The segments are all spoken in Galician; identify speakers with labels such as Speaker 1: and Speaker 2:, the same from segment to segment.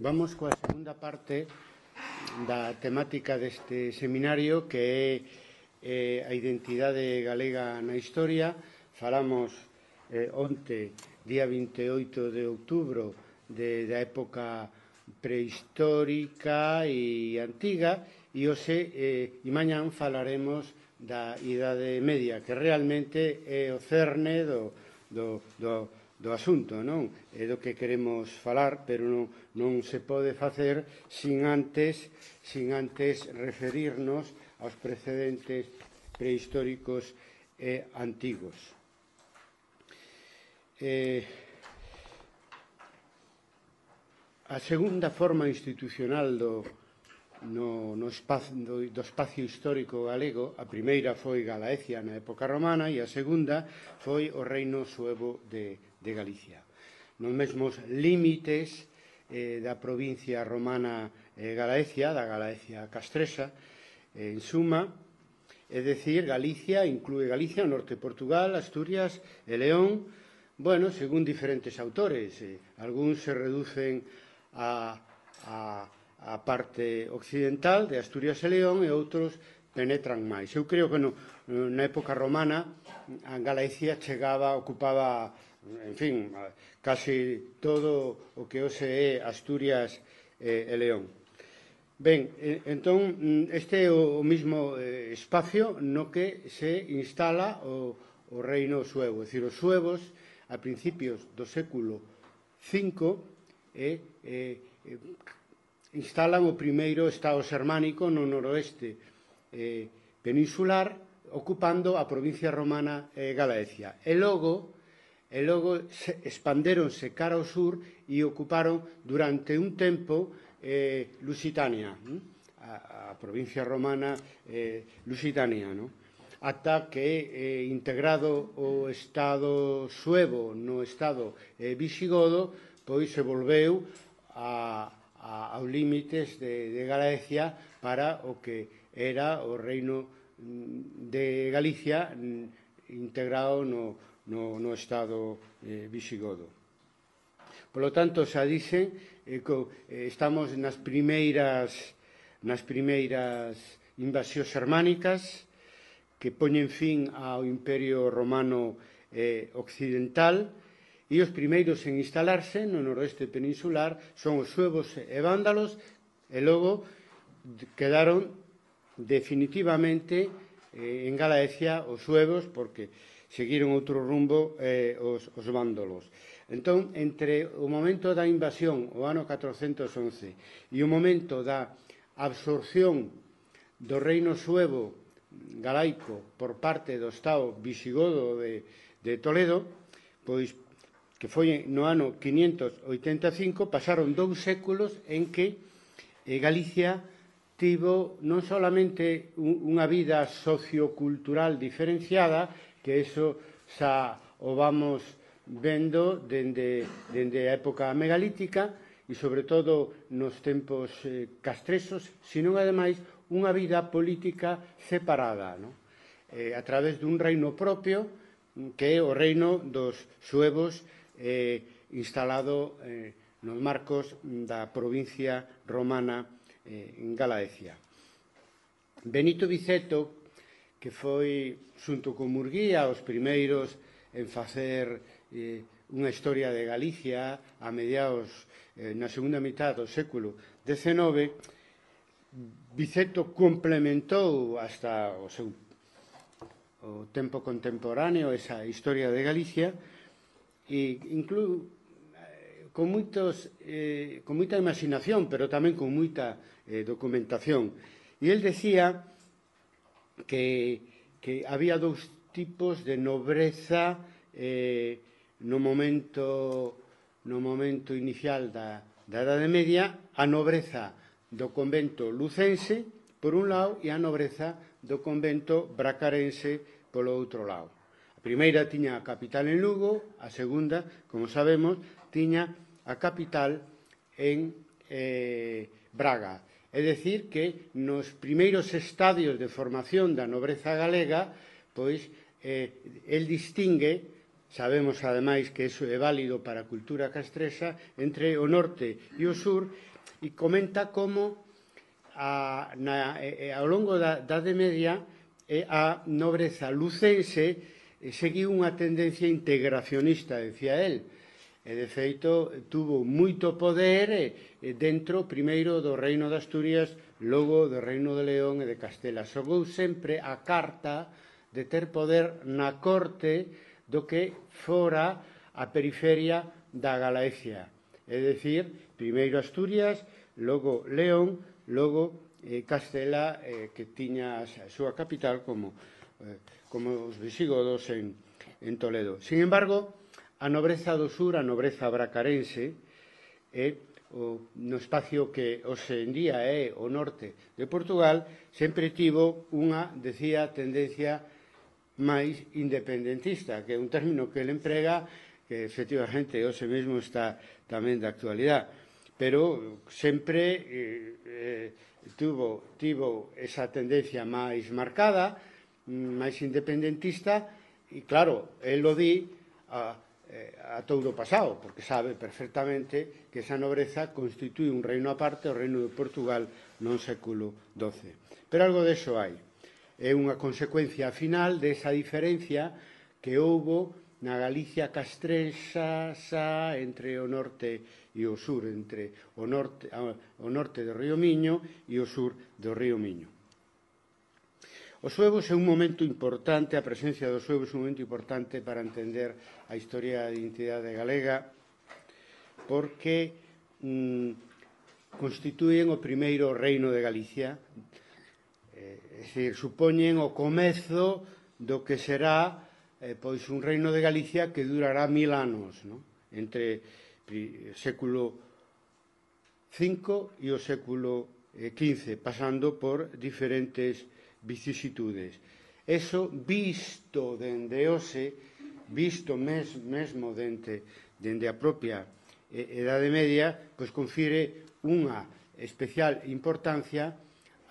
Speaker 1: Vamos coa segunda parte da temática deste seminario, que é a identidade galega na historia. Falamos onte, día 28 de outubro, da época prehistórica e antiga, e hoxe e mañán falaremos da Idade Media, que realmente é o cerne do asunto, non? É do que queremos falar, pero non se pode facer sin antes referirnos aos precedentes prehistóricos e antigos. A segunda forma institucional do espacio histórico galego, a primeira foi Galaecia na época romana e a segunda foi o Reino Suevo de Galicia. Nos mesmos límites da provincia romana Galaecia, da Galaecia castresa, en suma, é dicir, Galicia inclúe Galicia, o norte de Portugal, Asturias e León, bueno, según diferentes autores. Algúns se reducen a parte occidental de Asturias e León, e outros penetran máis. Eu creo que na época romana a Galicia ocupaba, en fin, casi todo o que hoxe é Asturias e León. Ben, entón, este é o mesmo espacio no que se instala o reino suevo. É dicir, os suevos, a principios do século V, instalan o primeiro estado xermánico no noroeste peninsular, ocupando a provincia romana Galaecia. E logo expandéronse cara ao sur e ocuparon durante un tempo Lusitania, a provincia romana Lusitania, ata que, integrado o estado suevo no estado visigodo, pois se volveu aos límites de Galaecia para o que era o reino de Galicia, integrado no estado visigodo. Por lo tanto, xa dixen, estamos nas primeiras invasións xermánicas que poñen fin ao Imperio Romano Occidental, e os primeiros en instalarse no noroeste peninsular son os suevos e vándalos, e logo quedaron definitivamente en Galaecia os suevos, porque seguiron outro rumbo os vándalos. Entón, entre o momento da invasión, o ano 411, e o momento da absorción do reino suevo galaico por parte do estado visigodo de Toledo, pois que foi no ano 585, pasaron 2 séculos en que Galicia tivo non solamente unha vida sociocultural diferenciada, que iso xa o vamos vendo dende a época megalítica e sobre todo nos tempos castresos, sino ademais unha vida política separada, a través dun reino propio, que é o reino dos suevos, instalado nos marcos da provincia romana en Galaecia. Benito Viceto, que foi, xunto con Murguía, os primeiros en facer unha historia de Galicia a mediados, na segunda mitad do século XIX, Viceto complementou hasta o seu tempo contemporáneo esa historia de Galicia, e con moita imaginación, pero tamén con moita documentación. E el decía que había 2 tipos de nobreza no momento inicial da Idade Media: a nobreza do convento lucense, por un lado, e a nobreza do convento bracarense, polo outro lado. A primeira tiña a capital en Lugo, a segunda, como sabemos, tiña a capital en Braga. É dicir, que nos primeiros estadios de formación da nobreza galega, pois, el distingue sabemos ademais que iso é válido para a cultura castresa, entre o norte e o sur, e comenta como ao longo da Idade Media a nobreza lucense seguiu unha tendencia integracionista, decía el, e de feito tuvo moito poder dentro primeiro do reino de Asturias, logo do reino de León e de Castela. Xogou sempre a carta de ter poder na corte do que fora a periferia da Galicia. É dicir, primeiro Asturias, logo León, logo Castela, que tiña a súa capital como os visigodos en Toledo. Sin embargo, a nobreza do sur, a nobreza bracarense, no espacio que hoxe en día é o norte de Portugal, sempre tivo unha, decía, tendencia máis independentista, que é un término que ele emprega que efectivamente hoxe mesmo está tamén de actualidade, pero sempre tivo esa tendencia máis marcada, máis independentista, e claro, el lo di a todo pasado, porque sabe perfectamente que esa nobreza constitui un reino aparte, o reino de Portugal no século XII. Pero algo deso hai. É unha consecuencia final desa diferencia que houbo na Galicia castrensa entre o norte e o sur, entre o norte do río Miño e o sur do río Miño. Os suevos é un momento importante, a presencia dos suevos é un momento importante para entender a historia da identidade galega, porque constituen o primeiro reino de Galicia, é dicir, supoñen o comezo do que será pois un reino de Galicia que durará 1000 anos, non? Entre o século V e o século XV, pasando por diferentes vicisitudes. Eso visto dende hoxe, visto mesmo dende a propia Idade Media, pois confire unha especial importancia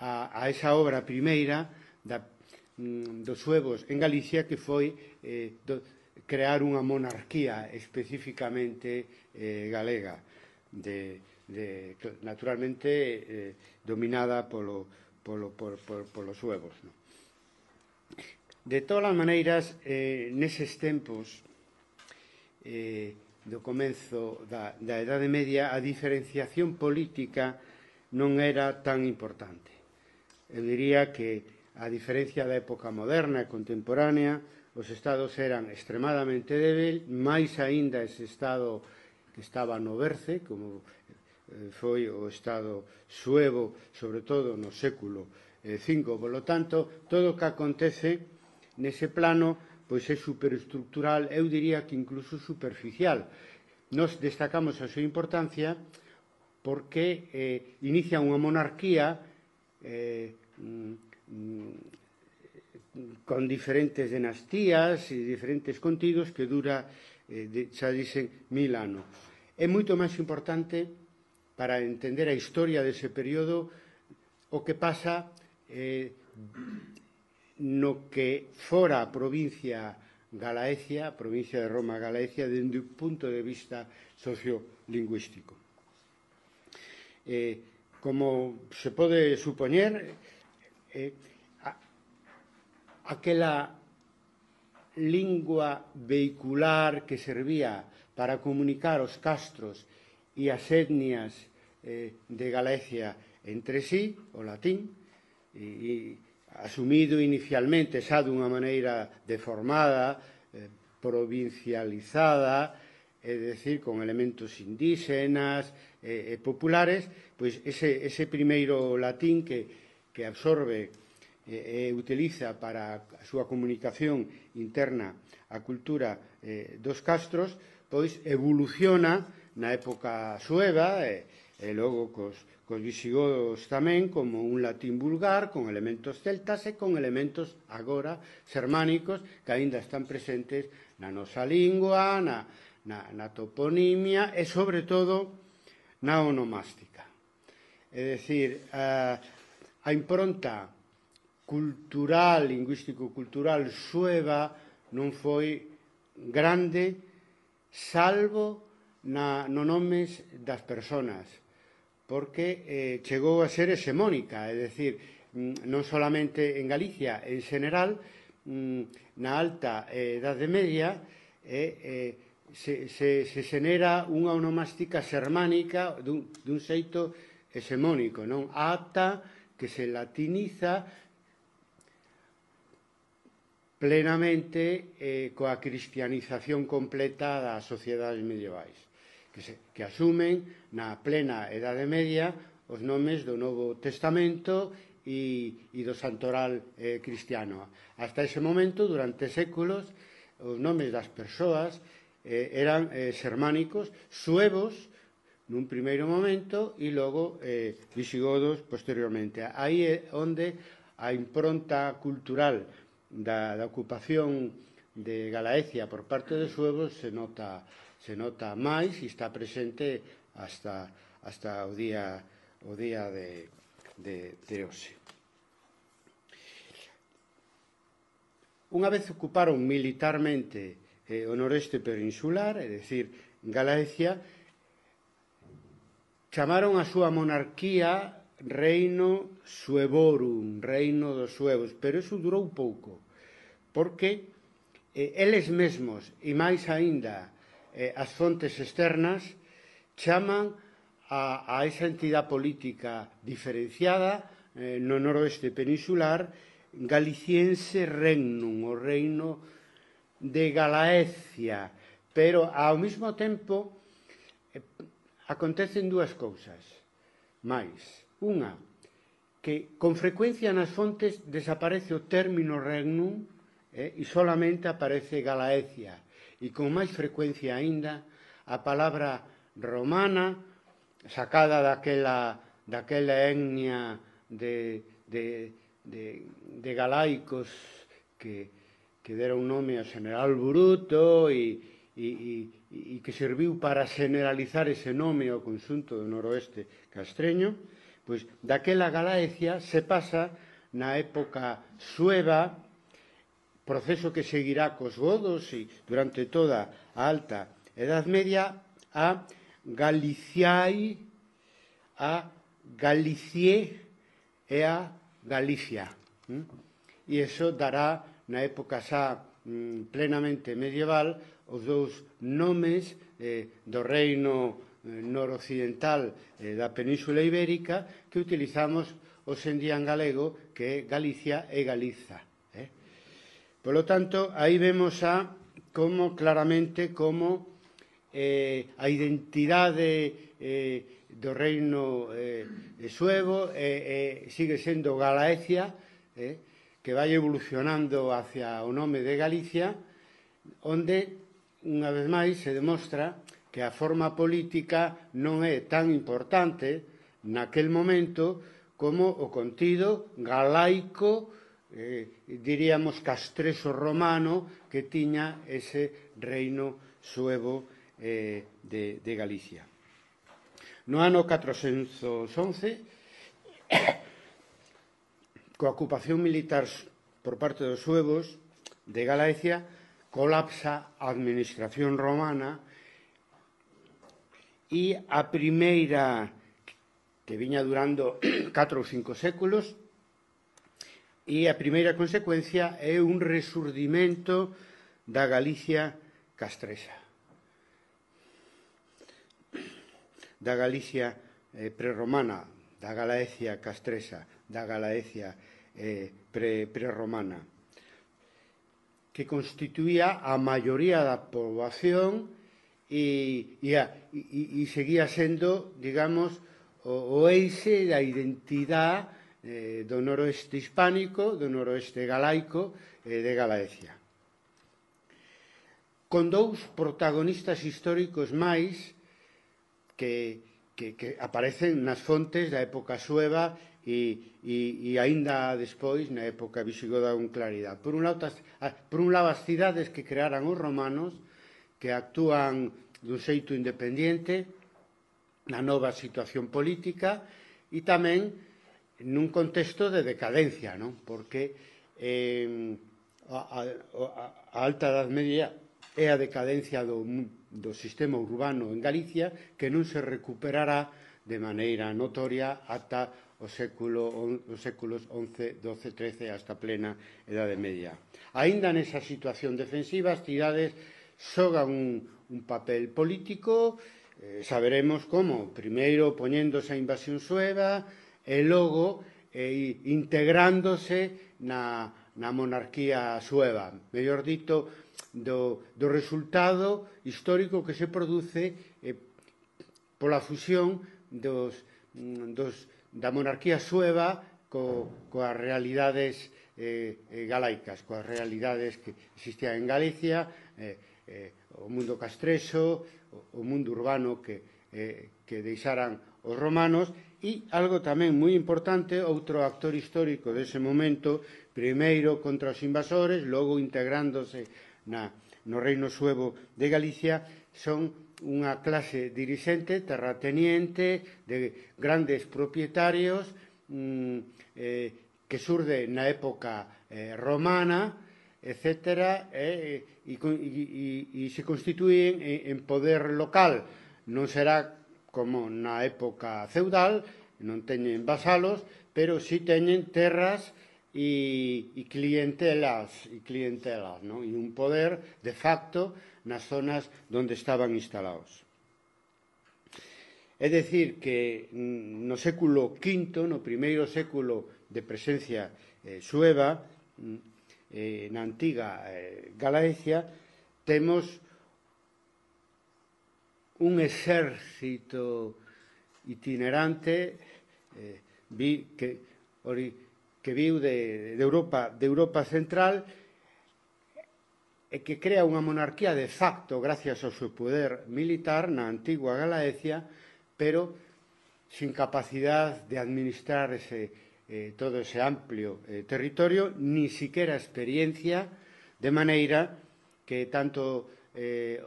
Speaker 1: a esa obra primeira dos suevos en Galicia, que foi crear unha monarquía especificamente galega, naturalmente dominada polos suevos. De todas as maneiras, neses tempos do comenzo da Idade Media, a diferenciación política non era tan importante. Eu diría que, a diferencia da época moderna e contemporánea, os estados eran extremadamente débil, máis aínda ese estado que estaba no berce, como foi o estado suevo, sobre todo no século V. Polo tanto, todo o que acontece nese plano pois é superestructural, eu diría que incluso superficial. Nos destacamos a súa importancia porque inicia unha monarquía con diferentes dinastías e diferentes contidos que dura, xa dicen, 1000 anos. É moito máis importante para entender a historia dese período o que pasa no que fora a provincia Galaecia, a provincia de Roma Galaecia, dende o punto de vista sociolingüístico. Como se pode supoñer, aquela lingua vehicular que servía para comunicar os castros e as etnias de Galicia entre sí, o latín, e asumido inicialmente xa dunha maneira deformada, provincializada, é dicir, con elementos indígenas e populares, pois ese primeiro latín que absorbe e utiliza para a súa comunicación interna a cultura dos castros, pois evoluciona na época sueva e logo cos visigodos tamén como un latín vulgar con elementos celtas e con elementos agora xermánicos que aínda están presentes na nosa lingua, na toponimia e sobre todo na onomástica. É dicir, a impronta cultural, lingüístico-cultural sueva non foi grande, salvo no nomes das persoas, porque chegou a ser hexemónica, é dicir, non solamente en Galicia, en xeral, na alta Idade Media, se xenera unha onomástica xermánica dun xeito hexemónico, non? Ata que se latiniza plenamente coa cristianización completa das sociedades medievais, que asumen na plena Idade Media os nomes do Novo Testamento e do santoral cristiano. Hasta ese momento, durante séculos, os nomes das persoas eran xermánicos, suevos nun primeiro momento e logo visigodos posteriormente. Aí é onde a impronta cultural da ocupación de Galaecia por parte dos suevos se nota máis e está presente hasta o día de hoxe. Unha vez ocuparon militarmente o noreste peninsular, é dicir, Galaecia, chamaron a súa monarquía Reino Suevorum, Reino dos Suevos, pero iso durou pouco, porque eles mesmos, e máis aínda as fontes externas, chaman a esa entidade política diferenciada no noroeste peninsular Galiciense Regnum, o reino de Galaecia, pero ao mesmo tempo acontecen dúas cousas máis. Unha, que con frecuencia nas fontes desaparece o término regnum e solamente aparece Galaecia, e con máis frecuencia aínda a palabra romana sacada daquela etnia de galaicos que deron nome ao general Bruto e que serviu para generalizar ese nome ao conxunto do noroeste castreño, pois daquela Galaecia se pasa na época sueva, proceso que seguirá cos godos e durante toda a alta Edad Media, a Galiciae, a Galicié e a Galicia. E iso dará, na época xa plenamente medieval, os dous nomes do reino noroccidental da Península Ibérica que utilizamos hoxe en día en galego, que é Galicia e Galiza. Por lo tanto, aí vemos claramente como a identidade do reino suevo sigue sendo Galaecia, que vai evolucionando hacia o nome de Galicia, onde, unha vez máis, se demostra que a forma política non é tan importante naquel momento como o contido galaico, diríamos castreso romano, que tiña ese reino suevo de Galicia. No ano 411, coa ocupación militar por parte dos suevos de Galaecia, colapsa a administración romana e a primeira, que viña durando 4 ou 5 séculos, e a primeira consecuencia é un resurdimento da Galicia castresa, da Galicia prerromana, da Galaecia castresa, da Galaecia prerromana, que constituía a maioría da poboación e seguía sendo, digamos, o eixe da identidade do noroeste hispánico, do noroeste galaico de Galaecia. Con dous protagonistas históricos máis que aparecen nas fontes da época sueva e aínda despois na época visigoda con claridade. Por un lado, as cidades que crearan os romanos, que actúan dun xeito independente na nova situación política e tamén nun contexto de decadencia, non? Porque a alta Edad Media é a decadencia do sistema urbano en Galicia, que non se recuperará de maneira notoria ata os séculos XI, XII, XIII, hasta plena Edade Media. Aínda nesa situación defensiva, as cidades xogan un papel político, saberemos como, primeiro poñéndose a invasión sueva e logo integrándose na monarquía sueva, mellor dito, do resultado histórico que se produce pola fusión da monarquía sueva coas realidades galaicas, coas realidades que existían en Galicia, o mundo castrexo, o mundo urbano que deixaran os romanos. E algo tamén moi importante, outro actor histórico dese momento, primeiro contra os invasores, logo integrándose no reino suevo de Galicia, son unha clase dirixente, terrateniente, de grandes propietarios que surde na época romana, etc., e se constituyen en poder local. Non será como na época feudal, non teñen vasalos, pero si teñen terras e clientelas, non? E un poder de facto nas zonas onde estaban instalados. É dicir que no século V, no primeiro século de presencia sueva, na antiga Galicia, temos un exército itinerante que viu de Europa Central e que crea unha monarquía de facto gracias ao seu poder militar na antigua Galicia, pero sin capacidade de administrar todo ese amplio territorio, ni siquiera experiencia, de maneira que tanto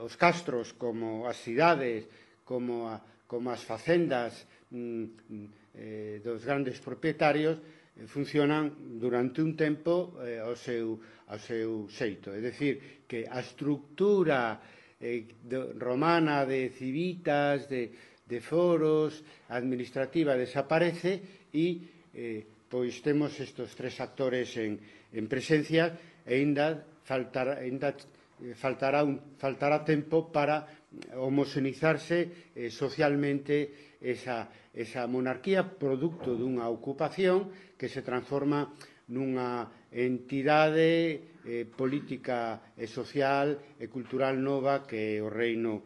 Speaker 1: os castros como as cidades, como as facendas dos grandes propietarios funcionan durante un tempo ao seu xeito. É dicir, que a estructura romana de civitas, de foros, administrativa desaparece e pois temos estes tres actores en presencia e ainda faltará tempo para homoxenizarse socialmente esa monarquía, producto dunha ocupación que se transforma nunha entidade política e social e cultural nova que é o reino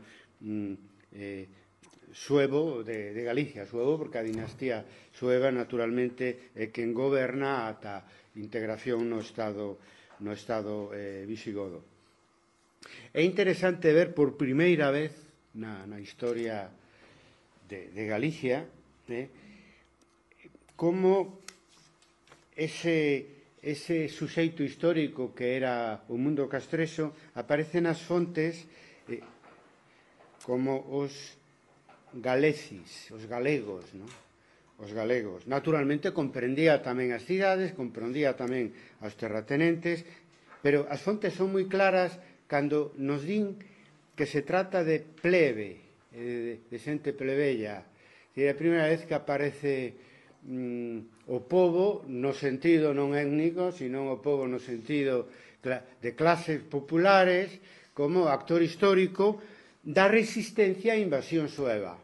Speaker 1: suevo de Galicia. Suevo porque a dinastía sueva naturalmente é quen goberna ata integración no Estado visigodo. É interesante ver por primeira vez na historia de Galicia como ese suxeito histórico que era o mundo castrexo aparece nas fontes como os galecis, os galegos, non? Os galegos. Naturalmente comprendía tamén as cidades, comprendía tamén aos terratenentes, pero as fontes son moi claras cando nos din que se trata de plebe, de xente plebeia. É a primeira vez que aparece o pobo no sentido non étnico, sino o pobo no sentido de clases populares como actor histórico da resistencia á invasión sueva.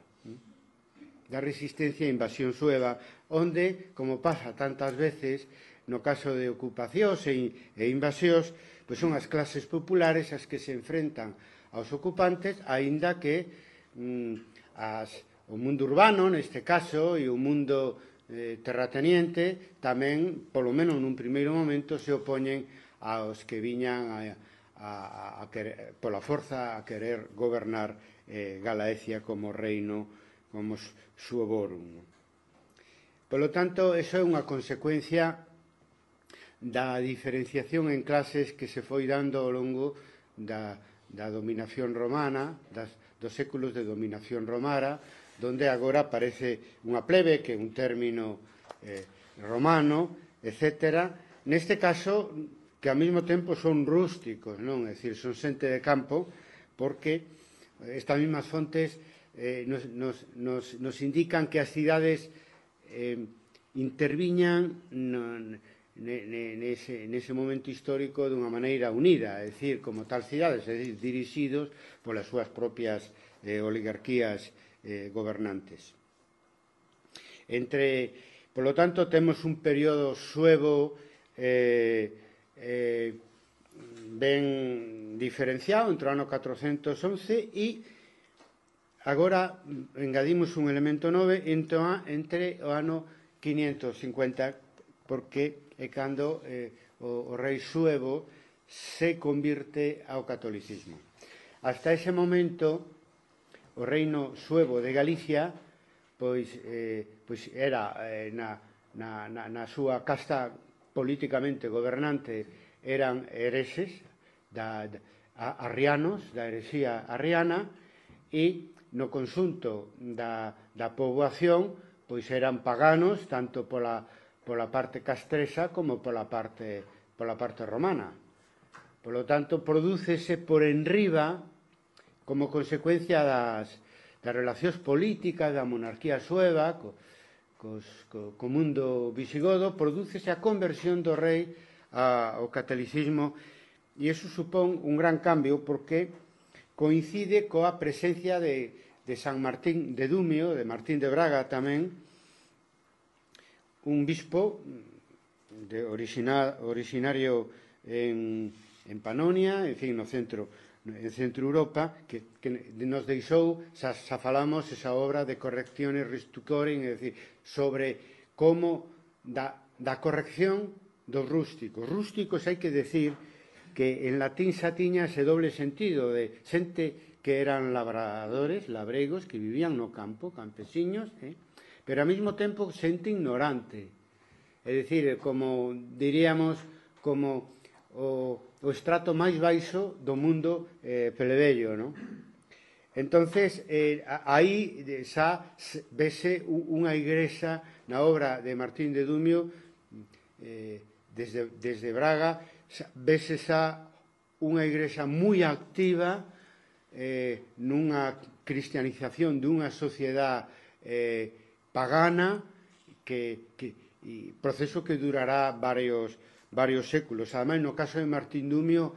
Speaker 1: Da resistencia á invasión sueva, onde, como pasa tantas veces, no caso de ocupacións e invasións, pois son as clases populares as que se enfrentan aos ocupantes, aínda que o mundo urbano, neste caso, e o mundo terrateniente, tamén, polo menos nun primeiro momento, se opoñen aos que viñan pola forza a querer gobernar Galaecia como reino, como suovorum. Polo tanto, eso é unha consecuencia da diferenciación en clases que se foi dando ao longo da dominación romana, dos séculos de dominación romana, donde agora aparece unha plebe, que é un término romano, etc. Neste caso, que ao mesmo tempo son rústicos, non? É dicir, son xente de campo, porque estas mesmas fontes nos indican que as cidades interviñan nese momento histórico dunha maneira unida, é dicir, como tal cidades, é dicir, dirixidos polas súas propias oligarquías gobernantes. Polo tanto, temos un período suevo ben diferenciado entre o ano 411 e agora engadimos un elemento novo entre o ano 550, porque é cando o rei suevo se convirte ao catolicismo. Hasta ese momento, o reino suevo de Galicia pois era na súa casta políticamente gobernante eran hereses arrianos, da herexía arriana, e no conxunto da poboación pois eran paganos tanto pola parte castresa como pola parte romana. Polo tanto, prodúcese por enriba, como consecuencia das relacións políticas da monarquía sueva co mundo visigodo, prodúcese a conversión do rei ao catolicismo, e iso supón un gran cambio porque coincide coa presencia de San Martín de Dumio, de Martín de Braga tamén, un bispo originario en Panonia, en fin, no centro Europa, que nos deixou, xa falamos, esa obra de Correctiones Restucoren, é dicir, sobre como da corrección dos rústicos. Rústicos hai que decir que en latín xa tiña ese doble sentido de xente que eran labradores, labregos, que vivían no campo, campesiños, pero ao mesmo tempo xente ignorante. É dicir, como diríamos, como o estrato máis baixo do mundo plebeyo, non? Entonces, aí xa vese unha igrexa na obra de Martín de Dumio, desde Braga, vese xa unha igrexa moi activa nunha cristianización dunha sociedade pagana, proceso que durará varios séculos. Ademais, no caso de Martín Dumio,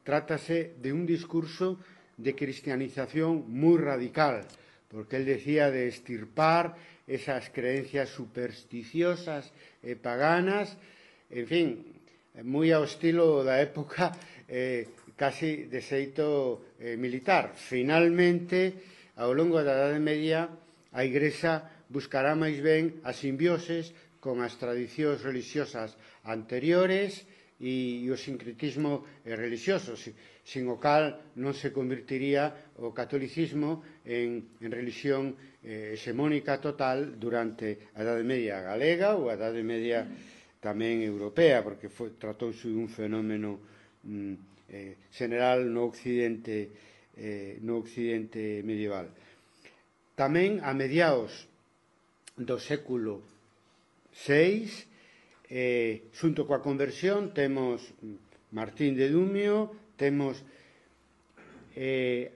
Speaker 1: trátase de un discurso de cristianización moi radical, porque él decía de extirpar esas creencias supersticiosas e paganas, en fin, moi ao estilo da época, casi de xeito militar. Finalmente, ao longo da Idade Media, a Igrexa buscará máis ben a simbioses con as tradicións religiosas anteriores e o sincretismo religioso, sin o cal non se convertiría o catolicismo en religión hexemónica total durante a Idade Media galega ou a Idade Media tamén europea, porque tratouse dun fenómeno general no Occidente medieval. Tamén a mediados do século VI, xunto coa conversión, temos Martín de Dumio, temos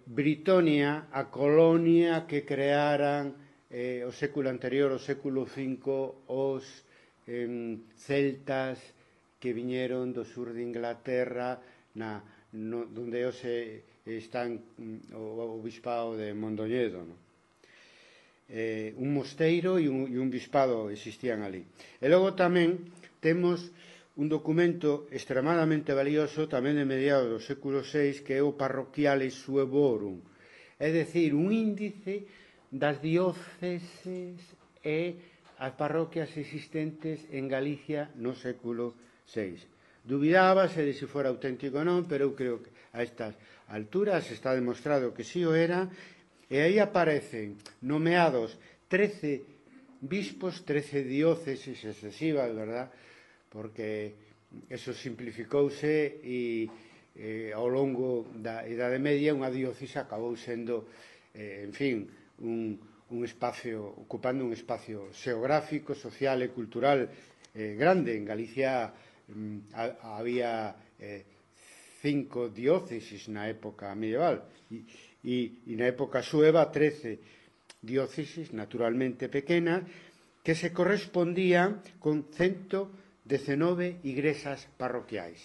Speaker 1: Britonia, a colonia que crearan o século anterior, o século V, os celtas que viñeron do sur de Inglaterra, donde hoxe están o bispado de Mondoñedo, non? Un mosteiro e un bispado existían ali. E logo tamén temos un documento extremadamente valioso tamén de mediados do século VI, que é o Parroquiale Suevorum, é dicir, un índice das dióceses e as parroquias existentes en Galicia no século VI. Dubidábase de se fora auténtico ou non, pero eu creo que a estas alturas está demostrado que si o era. E aí aparecen nomeados 13 bispos, 13 dióceses excesivas, verdad? Porque eso simplificouse e ao longo da Idade Media unha diócese acabou sendo, en fin, un espacio, ocupando un espacio xeográfico, social e cultural grande. En Galicia había 5 diócesis na época medieval e na época sueva 13 diócesis naturalmente pequenas que se correspondían con 119 igrexas parroquiais.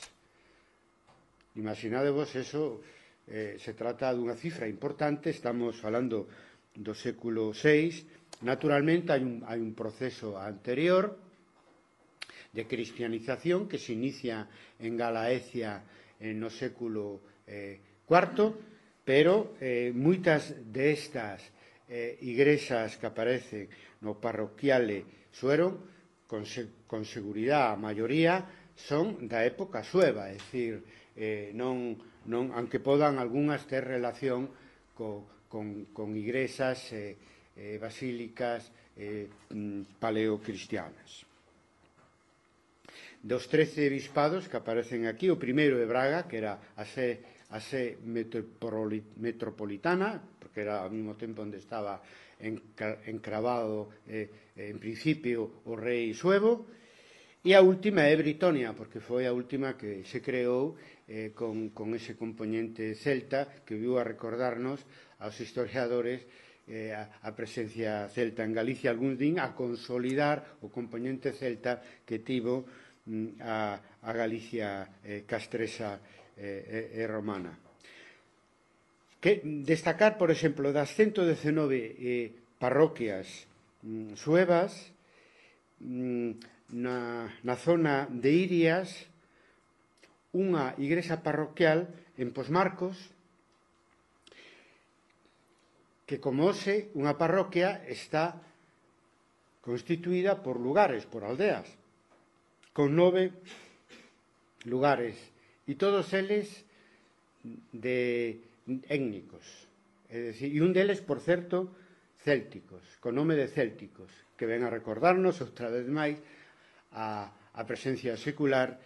Speaker 1: Imaginadevos eso, se trata dunha cifra importante, estamos falando do século VI. Naturalmente hai un proceso anterior de cristianización que se inicia en Galaecia no século IV, pero moitas destas igrexas que aparecen no parroquiale Suero, con seguridade a maioría, son da época sueva, é dicir, aunque podan algunhas ter relación con igrexas basílicas paleocristianas. Dos 13 bispados que aparecen aquí, o primeiro é Braga, que era a sé metropolitana, porque era ao mesmo tempo onde estaba encravado en principio o rei Suevo, e a última é Britonia, porque foi a última que se creou con ese componente celta que viu a recordarnos aos historiadores a presencia celta en Galicia, algún din a consolidar o componente celta que tivo a Galicia castresa e romana. Que destacar, por exemplo, das 119 parroquias suevas, na zona de Irias, unha igrexa parroquial en Posmarcos, que como hoxe unha parroquia está constituída por lugares, por aldeas, con 9 lugares, e todos eles étnicos, é dicir, e un deles, por certo, célticos, con nome de célticos, que ven a recordarnos outra vez máis a presencia secular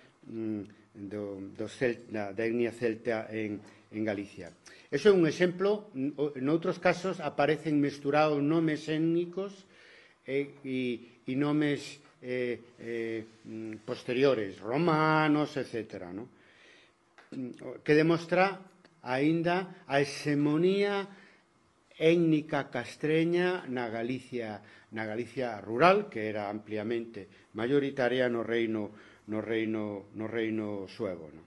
Speaker 1: da etnia celta en Galicia. Eso é un exemplo. Noutros casos aparecen mesturados nomes étnicos e nomes posteriores, romanos, etc., no? Que demostra aínda a hexemonía étnica castreña na Galicia rural, que era ampliamente maioritaria no reino suevo, no?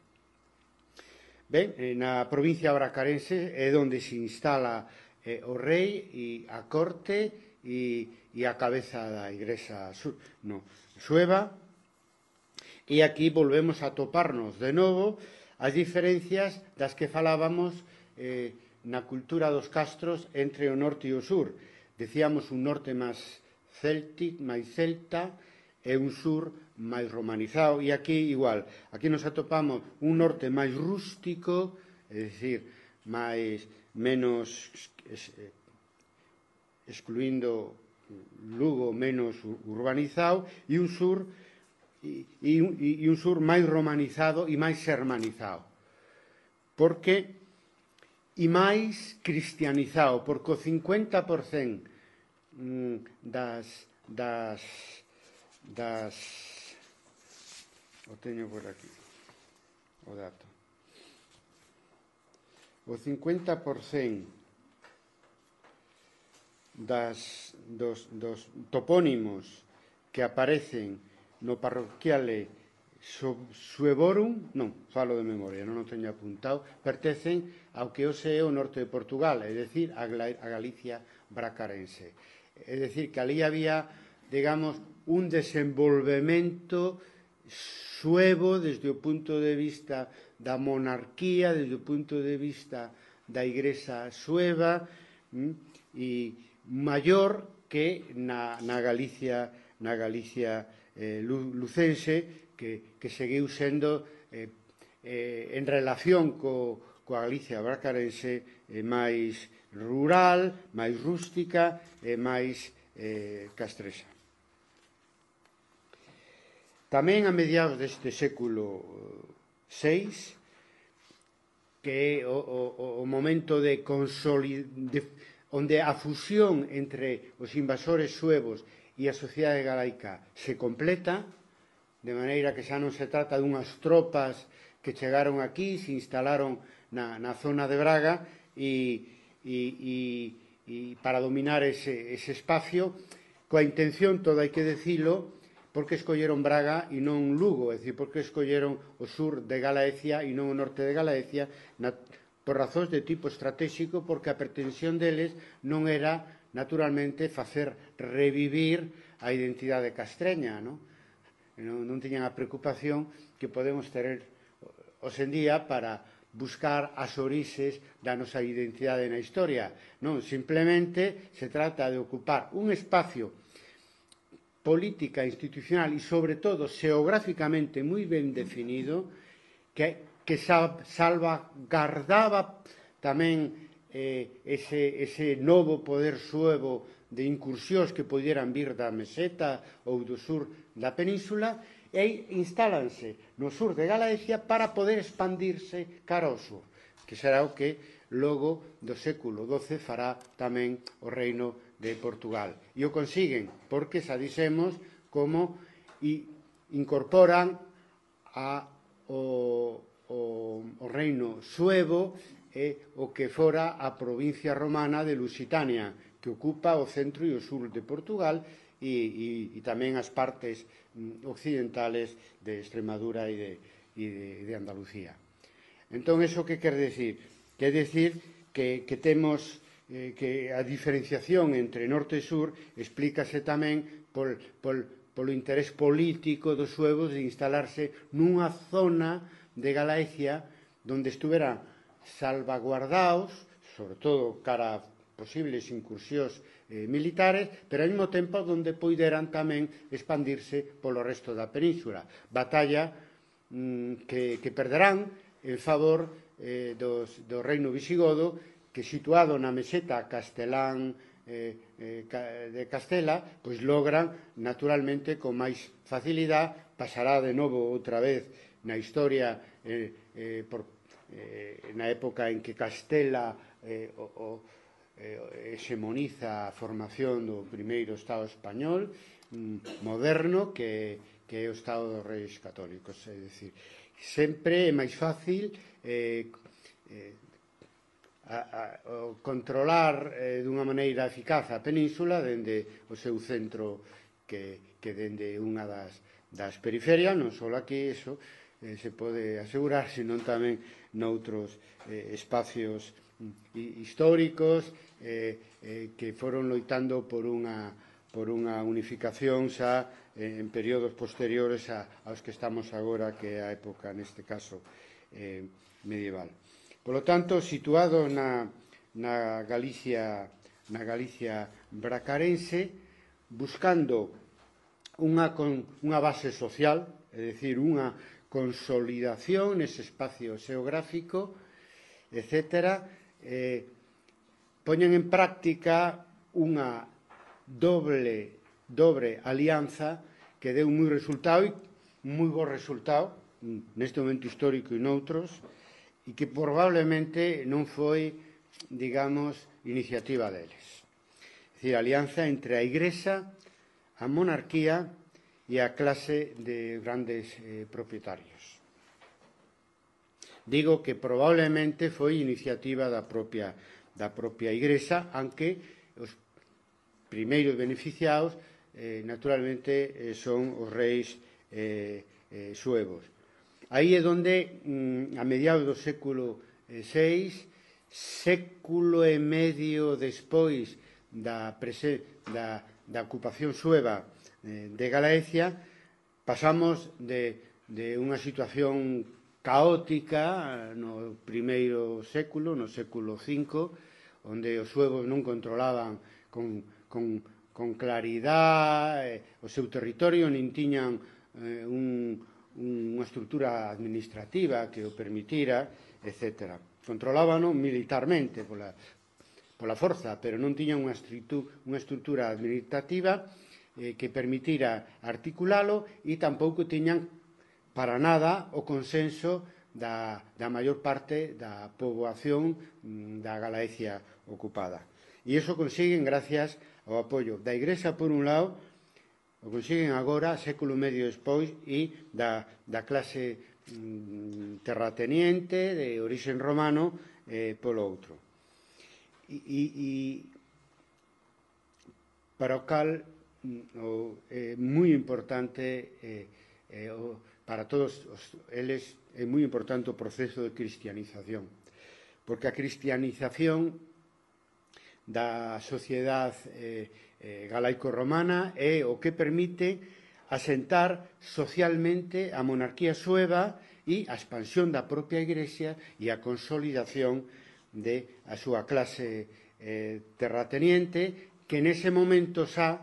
Speaker 1: Ben, na provincia bracarense é onde se instala o rei e a corte e a cabeza da igrexa sueva, e aquí volvemos a toparnos de novo as diferencias das que falábamos na cultura dos castros entre o norte e o sur. Decíamos un norte máis celta e un sur máis romanizado, e aquí igual, aquí nos atopamos un norte máis rústico, é dicir, menos excluindo Lugo, menos urbanizado, e un sur máis romanizado e máis xermanizado, porque e máis cristianizado, porque o 50% das o teño por aquí o dato, o 50% dos topónimos que aparecen no parroquiale Suevorum, non, falo de memoria, non o teño apuntado, pertencen ao que hoxe é o norte de Portugal, é dicir, a Galicia bracarense. É dicir, que ali había, digamos, un desenvolvemento suevo desde o punto de vista da monarquía, desde o punto de vista da igrexa sueva, e maior que na Galicia lucense, que seguiu sendo en relación coa Galicia bracarense máis rural, máis rústica e máis castresa. Tamén a mediados deste século VI, que é o momento de onde a fusión entre os invasores suevos e a sociedade galaica se completa, de maneira que xa non se trata dunhas tropas que chegaron aquí, se instalaron na zona de Braga e para dominar ese espacio, coa intención, todo hai que decilo, porque escolleron Braga e non Lugo, é dicir, porque escolleron o sur de Galaecia e non o norte de Galaecia, por razóns de tipo estratégico, porque a pretensión deles non era, naturalmente, facer revivir a identidade castreña, non tiñan a preocupación que podemos ter hoxendía para buscar as orixes da nosa identidade na historia. Non, simplemente se trata de ocupar un espacio política, institucional e, sobre todo, xeográficamente moi ben definido, que salvagardaba tamén ese novo poder suevo de incursións que pudieran vir da meseta ou do sur da península, e instálanse no sur de Galaecia para poder expandirse cara ao sur, que será o que logo do século XII fará tamén o reino de Portugal. E o consiguen porque xa dixemos como incorporan o reino suevo o que fora a provincia romana de Lusitania, que ocupa o centro e o sur de Portugal e tamén as partes occidentales de Extremadura e de Andalucía. Entón, iso que quer decir? Quer decir que temos que a diferenciación entre norte e sur explícase tamén polo interés político dos suevos de instalarse nunha zona de Galaecia onde estuveran salvaguardados, sobre todo cara a posibles incursións militares, pero ao mesmo tempo onde poideran tamén expandirse polo resto da península. Batalla que perderán en favor do reino visigodo, que situado na meseta castelán de Castela, pois logran naturalmente con máis facilidade, pasará de novo outra vez na historia na época en que Castela hexemoniza a formación do primeiro Estado español moderno, que é o Estado dos Reis Católicos. É dicir, sempre é máis fácil controlar dunha maneira eficaz a península dende o seu centro que dende unha das periferias, non só aquí, iso se pode asegurar, senón tamén noutros espacios históricos que foron loitando por unha unificación xa en períodos posteriores aos que estamos agora, que é a época, neste caso, medieval. Por lo tanto, situado na Galicia bracarense, buscando unha base social, é dicir, unha consolidación nese espacio xeográfico, etc., poñen en práctica unha dobre alianza que deu moi bo resultado neste momento histórico e noutros, e que probablemente non foi, digamos, iniciativa deles. É dicir, a alianza entre a Igrexa, a monarquía e a clase de grandes propietarios. Digo que probablemente foi iniciativa da propia Igrexa, aunque os primeiros beneficiados naturalmente son os reis suevos. Aí é onde, a mediados do século VI, século e medio despois da ocupación sueva de Galaecia, pasamos de unha situación caótica no primeiro século, no século V, onde os suevos non controlaban con claridade o seu territorio, nin tiñan unha estrutura administrativa que o permitira, etc. Controlábano militarmente pola forza, pero non tiñan unha estrutura administrativa que permitira articulalo, e tampouco tiñan para nada o consenso da maior parte da poboación da Galaecia ocupada. E iso consiguen gracias ao apoio da Igrexa por un lado O consiguen agora, século e medio despois, e da clase terrateniente, de orixen romano, polo outro. E para o cal é moi importante, para todos eles, é moi importante o proceso de cristianización, porque a cristianización da sociedade galaico-romana é o que permite asentar socialmente a monarquía sueva e a expansión da propia Igrexa e a consolidación da súa clase terrateniente, que nese momento xa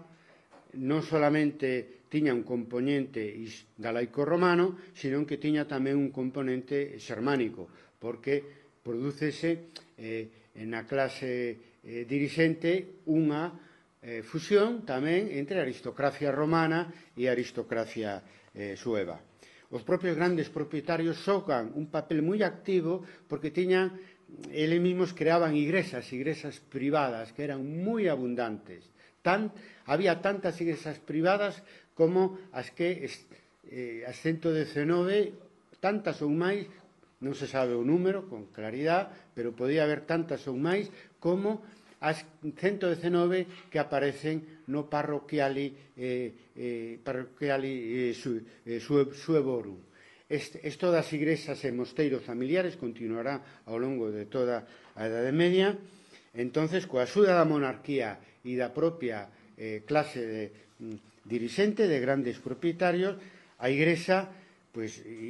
Speaker 1: non solamente tiña un componente galaico-romano, sino que tiña tamén un componente xermánico, porque prodúcese na clase dirixente unha fusión tamén entre a aristocracia romana e a aristocracia sueva. Os propios grandes propietarios xogan un papel moi activo porque tiñan, eles mesmos creaban igrexas privadas que eran moi abundantes. Había tantas igrexas privadas como as que as 119, tantas ou máis, non se sabe o número con claridade, pero podía haber tantas ou máis como as 119 que aparecen no parroquiali Suevorum. Isto das igrexas e mosteiros familiares continuará ao longo de toda a Edade Media. Entonces, coa axuda da monarquía e da propia clase dirixente de grandes propietarios, a Igrexa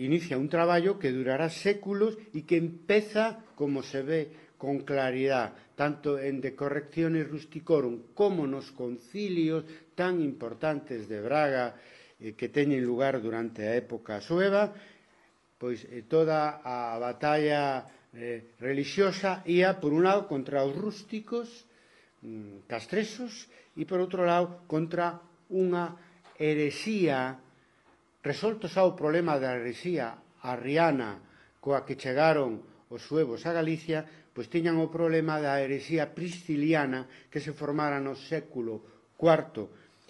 Speaker 1: inicia un traballo que durará séculos e que empeza, como se ve con claridade, tanto en De Correctione Rusticorum como nos concilios tan importantes de Braga que teñen lugar durante a época sueva, toda a batalla religiosa ia, por un lado, contra os rústicos castresos e, por outro lado, contra unha herexía, resolto xa o problema da herexía arriana coa que chegaron os suevos a Galicia, pois tiñan o problema da herexía prisciliana que se formara no século IV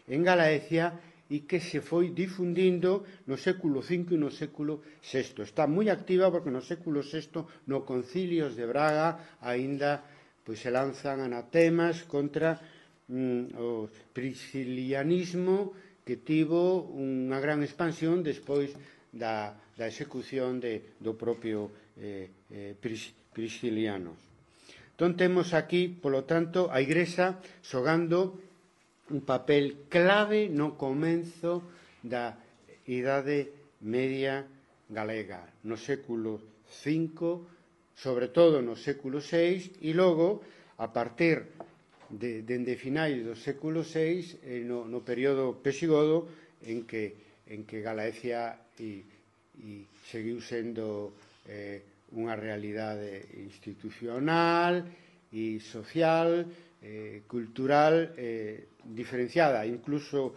Speaker 1: en Galaecia e que se foi difundindo no século V e no século VI. Está moi activa porque no século VI, no Concilios de Braga, aínda se lanzan anatemas contra o priscilianismo, que tivo unha gran expansión despois da execución do propio Priscilianos. Entón, temos aquí, polo tanto, a Igrexa xogando un papel clave no comenzo da Idade Media galega, no século V, sobre todo no século VI, e logo, a partir dende finais do século VI, no período pesigodo, en que Galaecia seguiu sendo unha realidade institucional e social, cultural diferenciada, incluso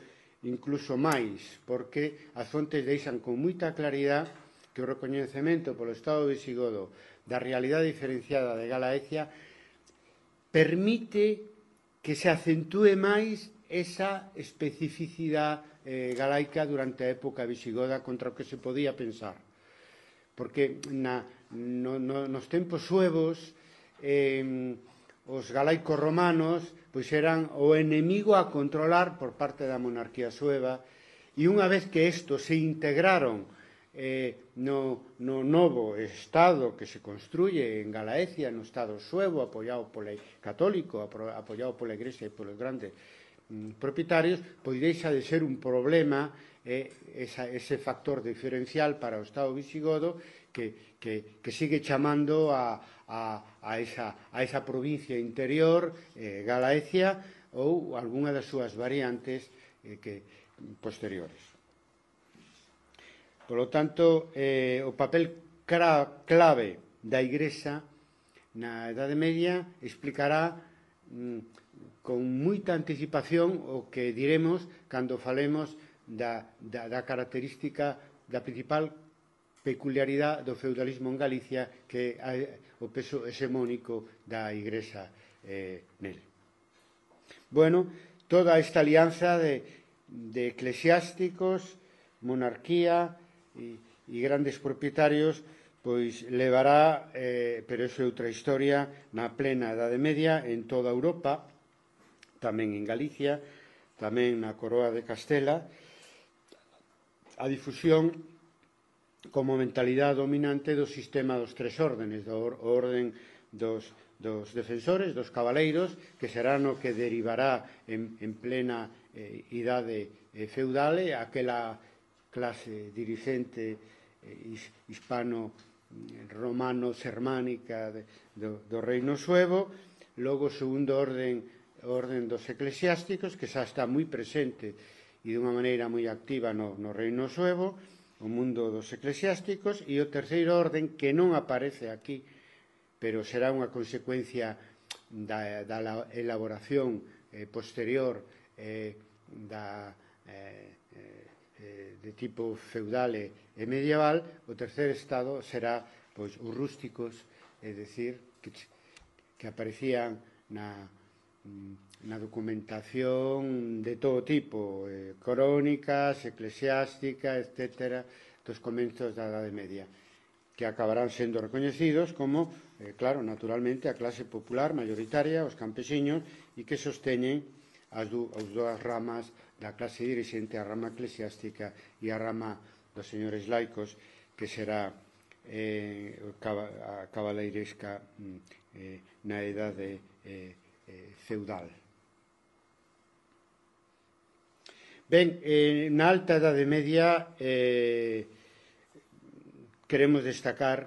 Speaker 1: máis, porque as fontes deixan con moita claridade que o recoñecemento polo Estado visigodo da realidade diferenciada de Galaecia permite que se acentúe máis esa especificidade galaica durante a época visigoda contra o que se podía pensar. Porque nos tempos suevos os galaicos romanos eran o enemigo a controlar por parte da monarquía sueva, e unha vez que estos se integraron no novo Estado que se construye en Galaecia, no Estado suevo, apoiado polo católico, apoiado pola Igrexa e polos grandes propietarios, deixa de ser un problema ese factor diferencial para o Estado visigodo que sigue chamando a esa provincia interior, Galaecia, ou algunha das súas variantes posteriores. Por lo tanto, o papel clave da Igrexa na Edade Media explicará con moita anticipación o que diremos cando falemos da característica, da principal peculiaridade do feudalismo en Galicia, que é o peso hexemónico da Igrexa nel. Bueno, toda esta alianza de eclesiásticos, monarquía e grandes propietarios, pois levará, pero iso é outra historia, na plena Edade Media en toda Europa, tamén en Galicia, tamén na Coroa de Castela, a difusión como mentalidade dominante do sistema dos tres órdenes, do orden dos defensores, dos cabaleiros, que será no que derivará en plena idade feudal aquela clase dirixente hispano-romano-sermánica do reino suevo. Logo o segundo orden dos eclesiásticos, que xa está moi presente e dunha maneira moi activa no reino suevo, o mundo dos eclesiásticos. E o terceiro orden, que non aparece aquí, pero será unha consecuencia da elaboración posterior de tipo feudal e medieval. O terceiro estado será pois os rústicos, é dicir, que aparecían na documentación de todo tipo, crónicas, eclesiásticas, etc., dos comenzos da Edade Media, que acabarán sendo recoñecidos como, claro, naturalmente, a clase popular mayoritaria, os campesiños, e que sosteñen as dúas ramas da clase dirixente, a rama eclesiástica e a rama dos señores laicos, que será a cabaleiresca na idade feudal. Ben, na alta Edade Media queremos destacar,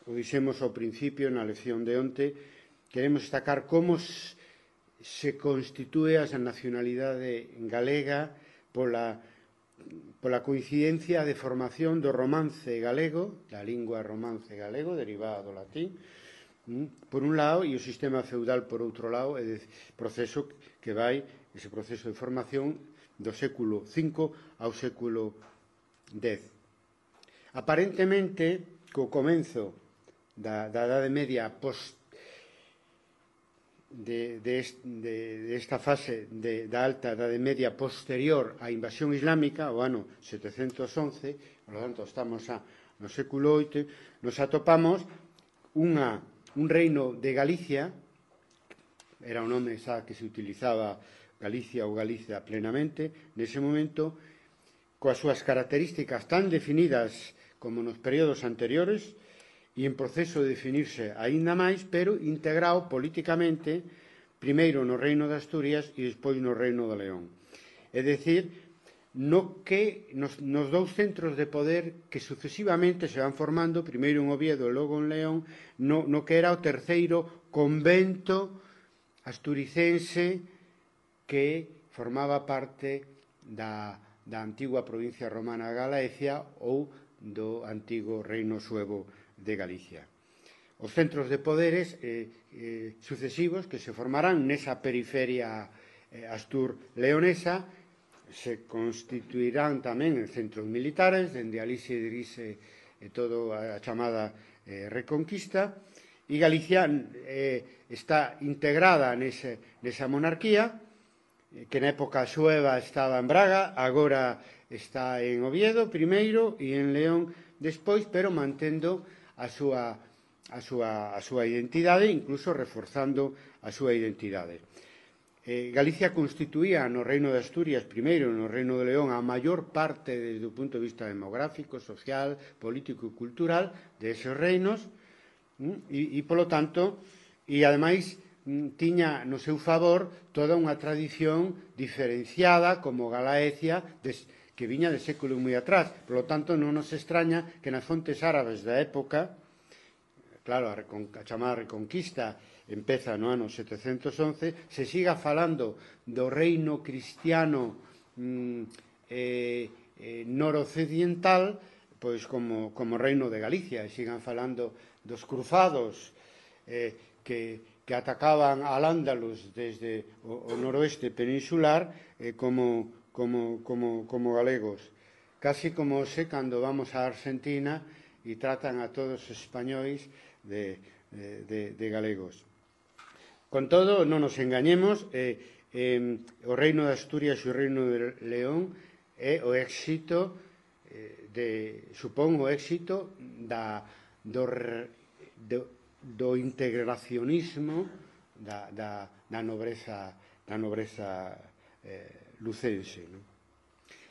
Speaker 1: o dixemos ao principio na lección de onte, queremos destacar como se constitúe a nacionalidade galega pola coincidencia de formación do romance galego, da lingua romance galego, derivada do latín, por un lado, e o sistema feudal por outro lado, é proceso que vai, ese proceso de formación do século V ao século X. Aparentemente, co comenzo da Edade Media desta fase da alta Edade Media posterior á invasión islámica, o ano 711, por lo tanto estamos no século VIII, nos atopamos un reino de Galicia, era o nome xa que se utilizaba Galicia ou Galicia plenamente, nese momento, coas súas características tan definidas como nos períodos anteriores e en proceso de definirse aínda máis, pero integrado políticamente primeiro no reino de Asturias e despois no reino de León. É dicir, nos dous centros de poder que sucesivamente se van formando, primeiro en Oviedo e logo en León, no que era o terceiro convento asturicense que formaba parte da antigua provincia romana de Galicia ou do antigo reino suevo de Galicia. Os centros de poderes sucesivos que se formarán nesa periferia astur-leonesa se constituirán tamén en centros militares, dende alí se dirixe toda a chamada Reconquista, e Galicia está integrada nesa monarquía, que na época sueva estaba en Braga, agora está en Oviedo primeiro e en León despois, pero mantendo a súa identidade, incluso reforzando a súa identidade. Galicia constituía no reino de Asturias primeiro, no reino de León, a maior parte desde o punto de vista demográfico, social, político e cultural de esos reinos, e polo tanto, e ademais tiña no seu favor toda unha tradición diferenciada como Galaecia, que viña de séculos moi atrás. Polo tanto, non nos extraña que nas fontes árabes da época, claro, a chamada Reconquista empeza no ano 711, se siga falando do reino cristiano noroccidental, pois como reino de Galicia, e sigan falando dos cruzados que atacaban al Ándalus desde o noroeste peninsular como galegos. Casi como cando vamos a Argentina e tratan a todos os españois de galegos. Con todo, non nos engañemos, o Reino de Asturias e o Reino de León é o éxito supón o éxito do integracionismo da nobreza lucense, non?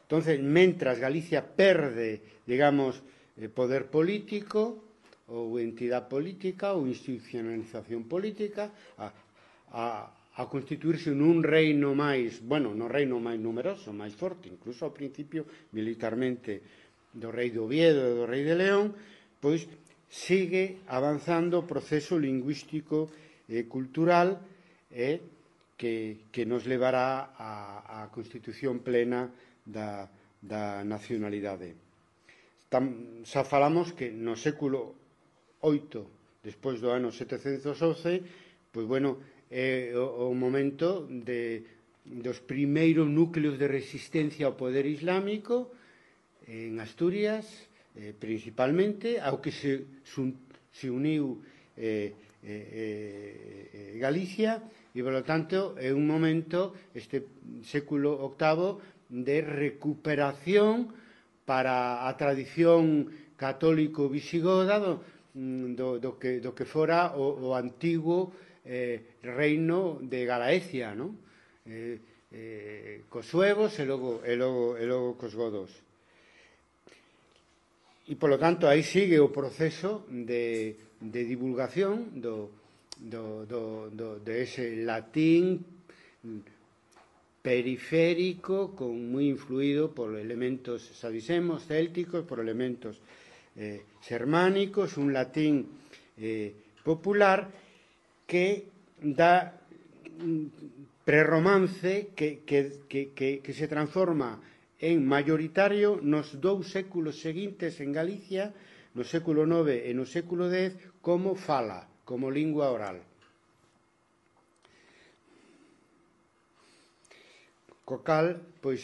Speaker 1: Entonces, mentras Galicia perde, digamos, poder político ou entidade política ou institucionalización política a constituirse nun reino máis, bueno, no reino máis numeroso, máis forte, incluso ao principio militarmente do rei de Oviedo e do rei de León, pois sigue avanzando o proceso lingüístico e cultural que nos levará á constitución plena da nacionalidade. Xa falamos que no século VIII, despois do ano 711, pois, bueno, é o momento dos primeiros núcleos de resistencia ao poder islámico en Asturias, principalmente, ao que se uniu Galicia, e, polo tanto, é un momento, este século VIII, de recuperación para a tradición católico visigoda do que fora o antigo reino de Galaecia, non? Cos suevos e logo cos godos. E, polo tanto, aí sigue o proceso de divulgación de ese latín periférico, moi influído por elementos, xa dixemos, célticos, por elementos xermánicos, un latín popular que dá prerromance que se transforma en mayoritario nos 2 séculos seguintes en Galicia, no século IX e no século X, como fala, como lingua oral. Co cal, pois,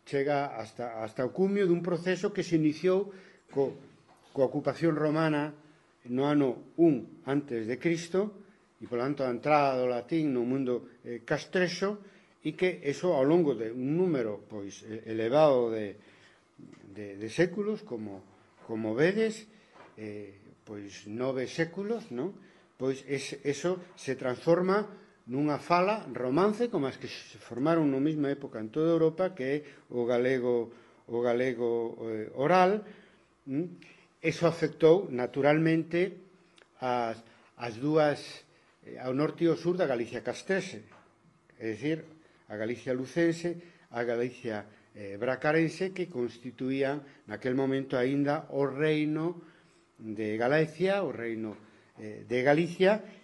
Speaker 1: chega hasta o cumio dun proceso que se iniciou coa ocupación romana no ano 1 antes de Cristo, e, por tanto, a entrada do latín no mundo castrexo, e que eso, ao longo de un número pois elevado de séculos, como vedes, pois 9 séculos, non? Pois eso se transforma nunha fala romance como as que se formaron na mesma época en toda Europa, que é o galego oral. Eso afectou naturalmente as dúas, ao norte e ao sur da Galicia castrexe, é dicir, a Galicia lucense, a Galicia bracarense, que constituían naquel momento aínda o reino de Galicia, o reino de Galicia,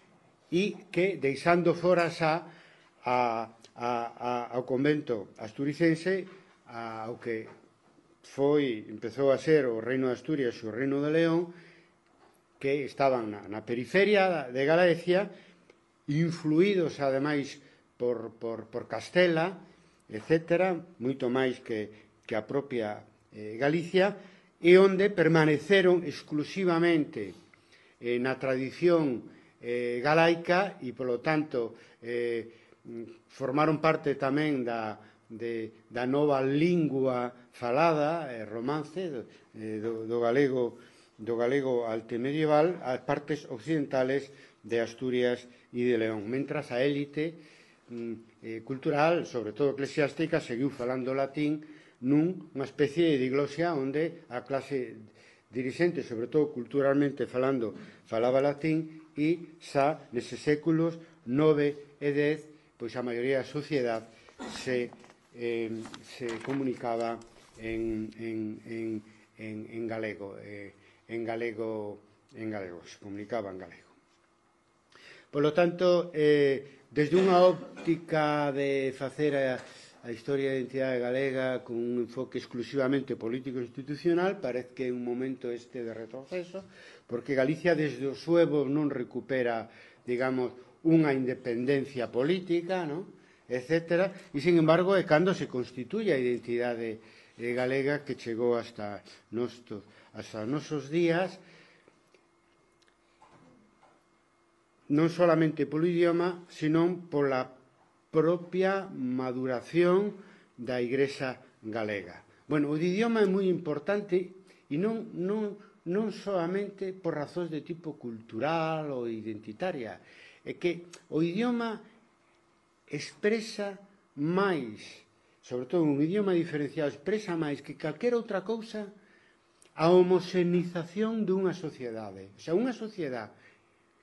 Speaker 1: e que, deixando fora xa ao convento asturicense, ao que empezou a ser o reino de Asturias e o reino de León, que estaban na periferia de Galicia, influídos, ademais, por Castela, etc., moito máis que a propia Galicia, e onde permaneceron exclusivamente na tradición galaica e, polo tanto, formaron parte tamén da nova lingua falada, romance, do galego altemedieval, as partes occidentales de Asturias e de León, mentras a élite cultural, sobre todo eclesiástica, seguiu falando latín nunha especie de diglosia onde a clase dirixente, sobre todo culturalmente falando, falaba latín, e xa neses séculos 9 e 10, pois a maioría da sociedade se comunicaba en galego, se comunicaba en galego. Por lo tanto, desde unha óptica de facer a historia da identidade galega con un enfoque exclusivamente político-institucional, parece que é un momento este de retroceso, porque Galicia desde o suevo non recupera, digamos, unha independencia política, non? Etcétera, e, sin embargo, é cando se constituye a identidade galega que chegou hasta nosos días. non solamente polo idioma, senón pola propia maduración da Igrexa galega. Bueno, o idioma é moi importante e non solamente por razóns de tipo cultural ou identitaria, é que o idioma expresa máis, sobre todo un idioma diferenciado, expresa máis que calquera outra cousa a homoxenización dunha sociedade. O sea, unha sociedade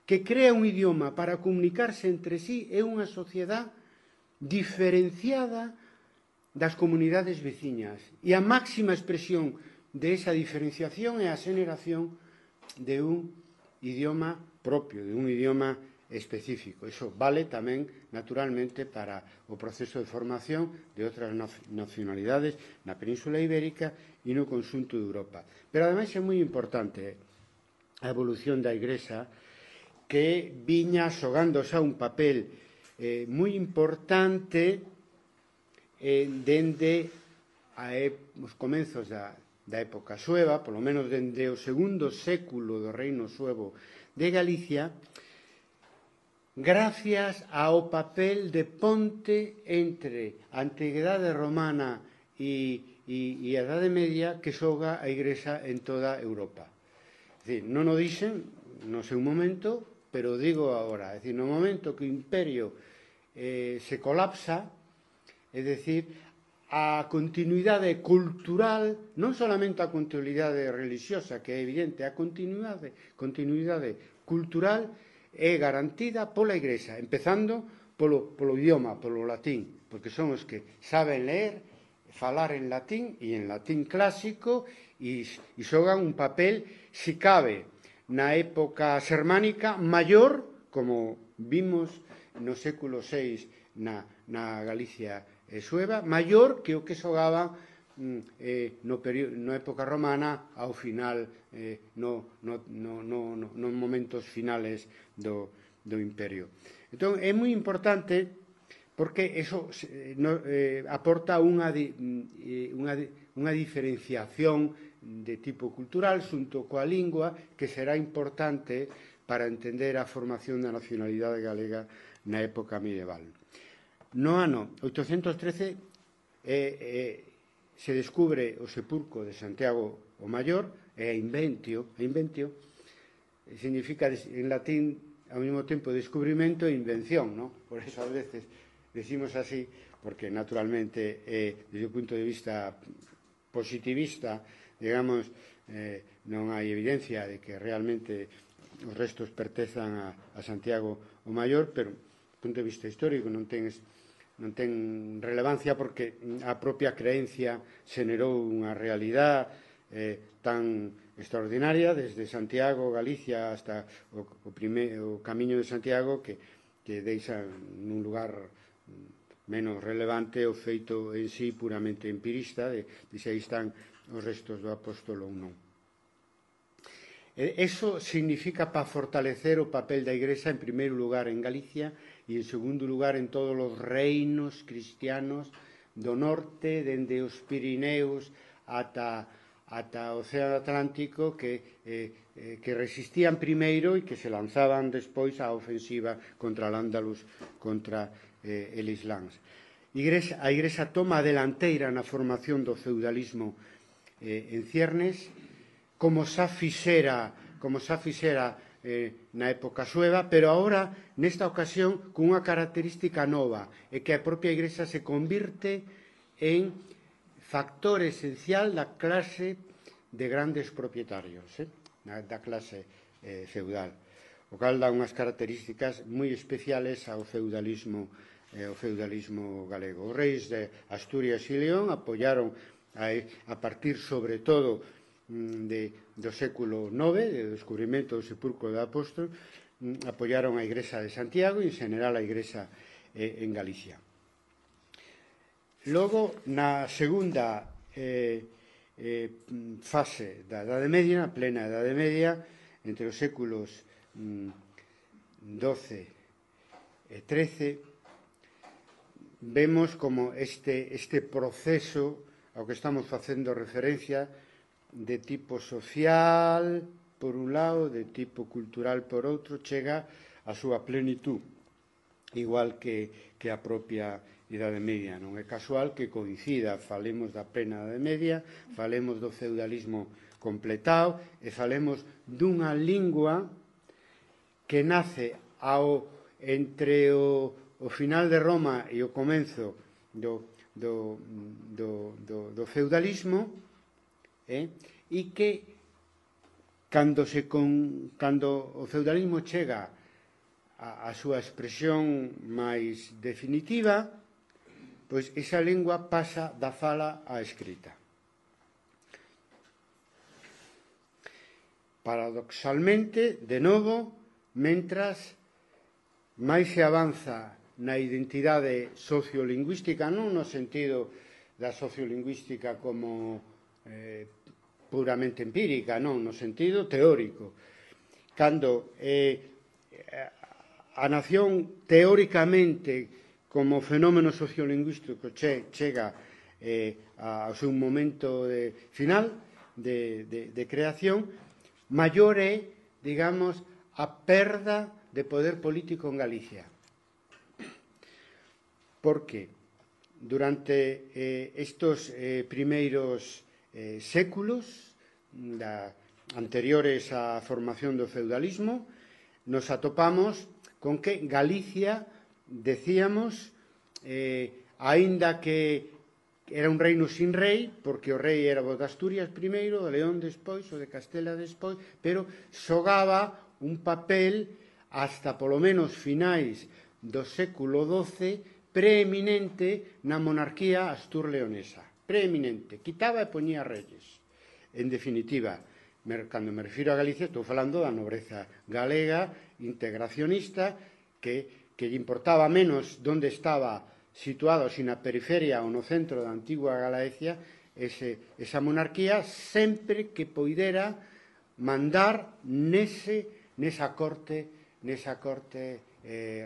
Speaker 1: que crea un idioma para comunicarse entre sí é unha sociedade diferenciada das comunidades veciñas. E a máxima expresión de esa diferenciación é a xeneración de un idioma propio, de un idioma específico. Iso vale tamén, naturalmente, para o proceso de formación de outras nacionalidades na Península Ibérica e no conxunto de Europa. Pero, ademais, é moi importante a evolución da Igrexa, que viña xogando xa un papel moi importante dende os comenzos da época sueva, polo menos dende o segundo século do reino suevo de Galicia, gracias ao papel de ponte entre a Antigüedade romana e a Idade Media que xoga a Igrexa en toda Europa. É dicir, non o dixen no seu momento, pero digo agora, é dicir, no momento que o imperio se colapsa, é dicir, a continuidade cultural, non solamente a continuidade religiosa, que é evidente, a continuidade cultural é garantida pola Igrexa, empezando polo idioma, polo latín, porque son os que saben ler, falar en latín e en latín clásico e xogan un papel, se cabe, na época xermánica maior, como vimos no século VI na Galicia sueva, maior que o que xogaba na época romana ao final, nos momentos finales do imperio. Entón, é moi importante porque eso aporta unha diferenciación de tipo cultural xunto coa lingua que será importante para entender a formación da nacionalidade galega na época medieval. No ano 813 se descubre o sepulcro de Santiago o Maior, e a inventio, significa en latín ao mesmo tempo descubrimento e invención, non? Por eso a veces decimos así, porque naturalmente desde o punto de vista positivista, digamos, non hai evidencia de que realmente os restos pertezan a Santiago o Maior, pero do punto de vista histórico non ten relevancia porque a propia creencia xenerou unha realidade tan extraordinaria desde Santiago, Galicia, hasta o camiño de Santiago que deixa nun lugar menos relevante o feito en sí puramente empirista de se aí están os restos do apóstolo ou non. Eso significa para fortalecer o papel da Igrexa en primeiro lugar en Galicia e en segundo lugar en todos os reinos cristianos do norte, dende os Pirineos ata o Océano Atlántico que resistían primeiro e que se lanzaban despois á ofensiva contra al-Ándalus, contra el Islán. A Igrexa toma a delanteira na formación do feudalismo en ciernes, como xa fixera na época sueva, pero agora, nesta ocasión, con unha característica nova, é que a propia Igrexa se convirte en factor esencial da clase de grandes propietarios, da clase feudal, o cal dá unhas características moi especiales ao feudalismo galego. Os reis de Asturias e León apoiaron a partir, sobre todo, do século IX, do descubrimento do sepulcro do apóstol, apoiaron a Igrexa de Santiago e, en general, a Igrexa en Galicia. Logo, na segunda fase da Edade Media, na plena Edade Media, entre os séculos XII e XIII, vemos como este proceso ao que estamos facendo referencia de tipo social, por un lado, de tipo cultural, por outro, chega a súa plenitud, igual que a propia Idade Media. Non é casual que coincida, falemos da plena Idade Media, falemos do feudalismo completado e falemos dunha lingua que nace entre o final de Roma e o comenzo do feudalismo, e que cando o feudalismo chega a súa expresión máis definitiva, pois esa lingua pasa da fala á escrita. Paradoxalmente, de novo, mentras máis se avanza na identidade sociolingüística, non no sentido da sociolingüística como puramente empírica, non, no sentido teórico. Cando a nación teóricamente como fenómeno sociolingüístico chega ao seu momento final de creación, maior é, digamos, a perda de poder político en Galicia. Porque durante estos primeiros séculos anteriores á formación do feudalismo, nos atopamos con que Galicia, decíamos, aínda que era un reino sin rei, porque o rei era o de Asturias primeiro, o de León despois, o de Castela despois, pero xogaba un papel hasta polo menos finais do século XII preeminente na monarquía astur-leonesa. Preeminente. Quitaba e poñía reyes. En definitiva, cando me refiro a Galicia, estou falando da nobreza galega, integracionista, que lle importaba menos onde estaba situado, si na periferia ou no centro da antigua Galicia, esa monarquía, sempre que poidera mandar nesa corte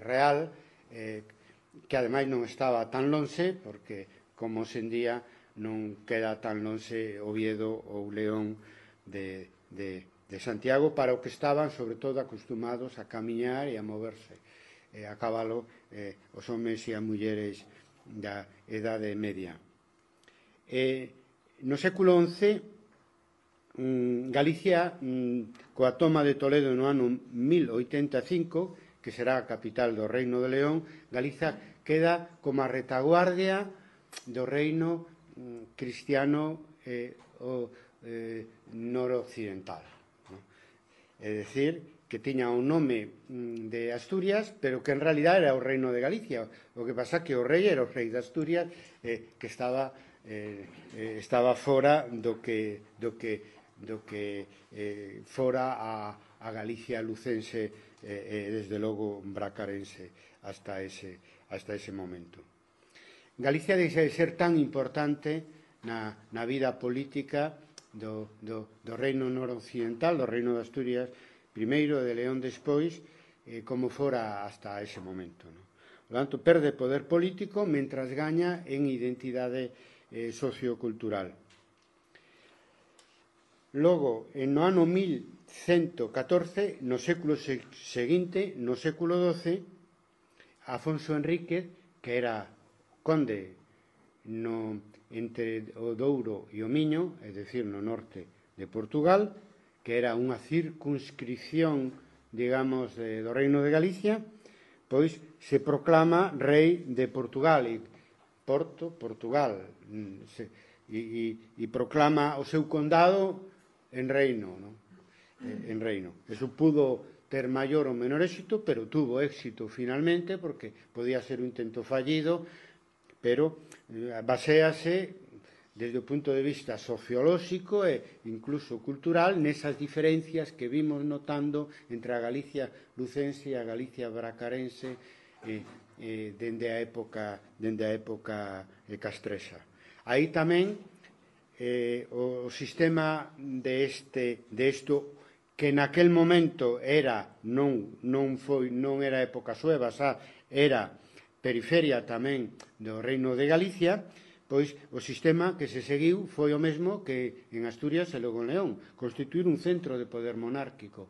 Speaker 1: real, que ademais non estaba tan lonxe, porque, como hoxe en día, non queda tan lonxe Oviedo ou León de Santiago, para o que estaban, sobre todo, acostumados a camiñar e a moverse a cabalo os homes e as mulleres da Idade Media. No século XI, Galicia, coa toma de Toledo no ano 1085, que será a capital do Reino de León, Galicia queda como a retaguardia do reino cristiano noroccidental. É dicir, que tiña un nome de Asturias, pero que en realidad era o reino de Galicia. O que pasa que o rei era o rei de Asturias, que estaba fora do que fora a Galicia lucense e desde logo bracarense hasta ese momento. Galicia deixa de ser tan importante na vida política do reino noroccidental, do reino de Asturias primeiro e de León despois, como fora hasta ese momento. Por tanto, perde poder político mentras gaña en identidade sociocultural. Logo, no ano 1114, no século seguinte, no século XII, Afonso Enríquez, que era conde entre o Douro e o Miño, é dicir, no norte de Portugal, que era unha circunscripción, digamos, do Reino de Galicia, pois se proclama rei de Portugal, Portugal, e proclama o seu condado en reino. Eso pudo ter maior ou menor éxito, pero tuvo éxito finalmente, porque podía ser un intento fallido, pero baséase desde o punto de vista sociolóxico e incluso cultural nesas diferencias que vimos notando entre a Galicia lucense e a Galicia bracarense dende a época castresa. Aí tamén o sistema de isto que naquel momento non era época sueva, era periferia tamén do Reino de Galicia, pois o sistema que se seguiu foi o mesmo que en Asturias e logo en León, constituir un centro de poder monárquico.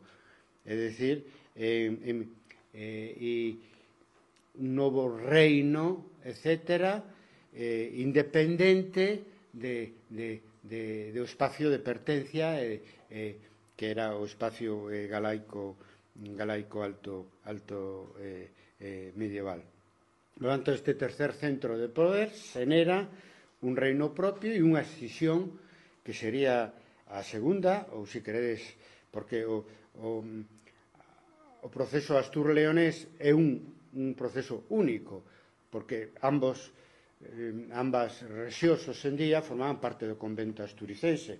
Speaker 1: É dicir, e un novo reino, etc., independente do espacio de pertencia que era o espacio galaico alto medieval. Por tanto, este tercer centro de poder xenera un reino propio e unha escisión que sería a segunda, ou se queredes, porque o proceso astur-leonés é un proceso único, porque ambas rexións hoxendía formaban parte do convento asturicense.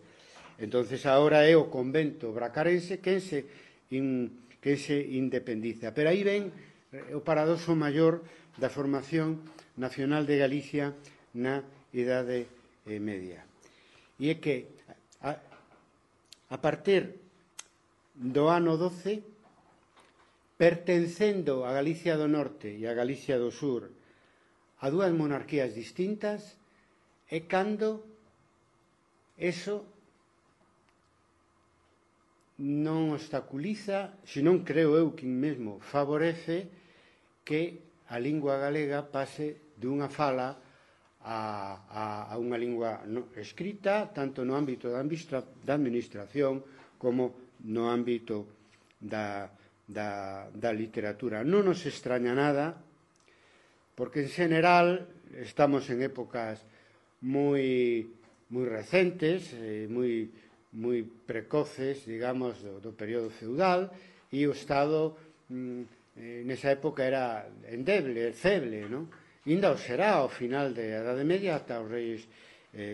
Speaker 1: Entonces agora é o convento bracarense quen se independiza. Pero aí ven o paradoxo maior da formación nacional de Galicia na Idade Media. E é que a partir do ano 12, pertencendo a Galicia do Norte e a Galicia do Sur a dúas monarquías distintas, é cando eso non obstaculiza, senón creo eu que mesmo favorece que a lingua galega pase dunha fala a unha lingua escrita, tanto no ámbito da administración como no ámbito da literatura. Non nos extraña nada, porque en general estamos en épocas moi recentes, moi precoces, digamos, do período feudal, e o Estado nesa época era endeble, feble, non? Inda o será ao final da Idade Media ata os reis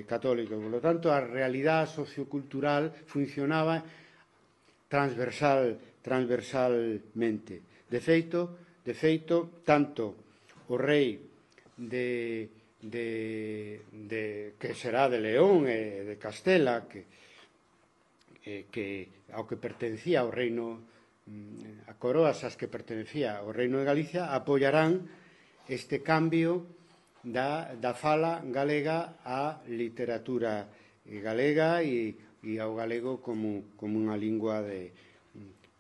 Speaker 1: católicos. Por lo tanto, a realidade sociocultural funcionaba transversalmente. De feito, tanto o rei que será de León e de Castela, que ao que pertencía o reino, a coroas ás que pertencía o reino de Galicia, apoiarán este cambio da fala galega á literatura galega e ao galego como unha lingua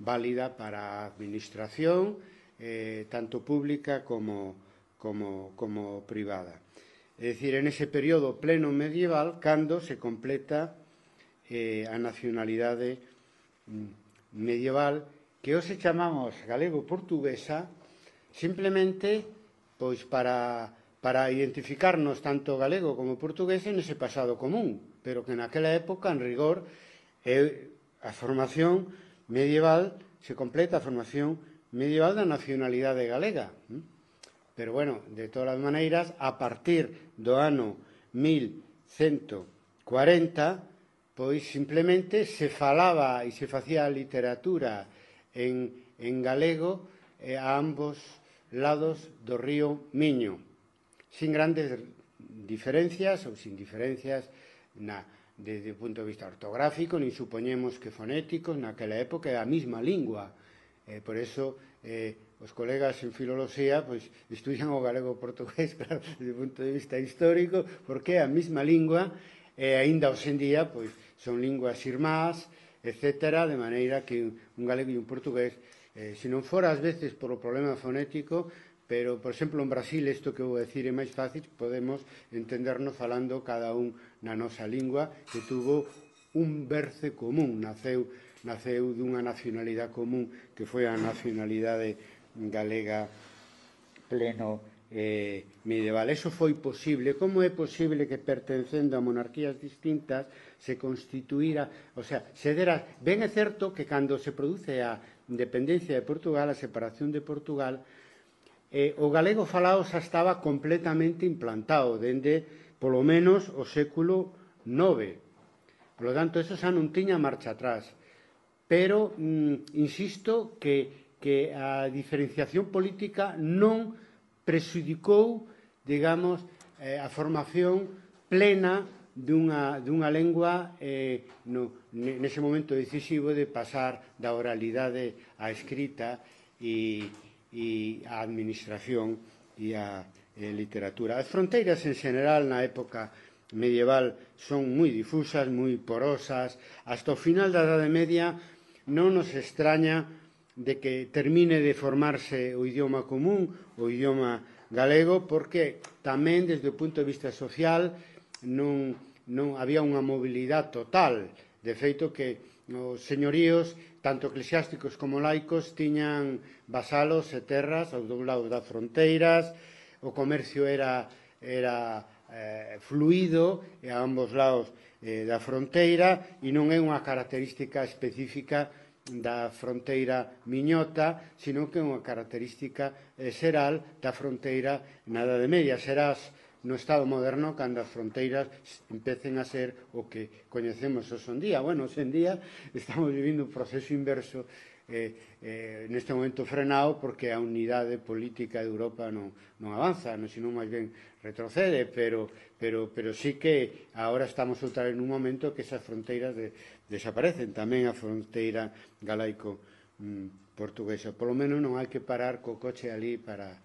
Speaker 1: válida para a administración, tanto pública como privada. É dicir, en ese período pleno medieval, cando se completa a nacionalidade medieval, que hoxe chamamos galego-portuguesa, simplemente pois para identificarnos tanto galego como portugués nese pasado común, pero que naquela época, en rigor, a formación medieval se completa a formación medieval da nacionalidade galega. Pero, bueno, de todas as maneiras, a partir do ano 1140, pois simplemente se falaba e se facía literatura en galego a ambos lados do río Miño, sin grandes diferencias ou sin diferencias desde o punto de vista ortográfico, nin supoñemos que fonéticos, naquela época é a mesma lingua. Por eso os colegas en filoloxía estudian o galego-portugués, claro, desde o punto de vista histórico, porque é a mesma lingua e aínda hoxe en día son linguas irmás, etc., de maneira que un galego e un portugués, se non fora ás veces por o problema fonético, pero, por exemplo, en Brasil, isto que vou dicir é máis fácil, podemos entendernos falando cada un na nosa lingua, que tuvo un berce común, naceu dunha nacionalidade común, que foi a nacionalidade galega pleno medieval. Eso foi posible. Como é posible que, pertencendo a monarquías distintas, se constituíra, o sea, se dera... Ben é certo que cando se produce a independencia de Portugal, a separación de Portugal, o galego falado xa estaba completamente implantado dende, polo menos, o século IX. Por lo tanto, eso xa non tiña marcha atrás. Pero, insisto, que a diferenciación política non prexudicou, digamos, a formación plena dunha lengua nese momento decisivo de pasar da oralidade á escrita e a administración e a literatura. As fronteiras en general na época medieval son moi difusas, moi porosas. Hasta o final da Idade Media non nos extraña de que termine de formarse o idioma común, o idioma galego, porque tamén desde o punto de vista social non había unha mobilidade total. De feito que os señoríos, tanto eclesiásticos como laicos, tiñan vasalos e terras aos dous lados das fronteiras, o comercio era fluido a ambos lados da fronteira, e non é unha característica específica da fronteira miñota, sino que é unha característica xeral da fronteira na Idade Media. Serás no Estado moderno cando as fronteiras empecen a ser o que coñecemos hoxe en día. Bueno, hoxe en día estamos vivindo un proceso inverso, neste momento frenado, porque a unidade política de Europa non avanza, senón máis ben retrocede, pero sí que agora estamos outra vez nun momento que esas fronteiras desaparecen, tamén a fronteira galaico-portuguesa. Polo menos non hai que parar co coche ali para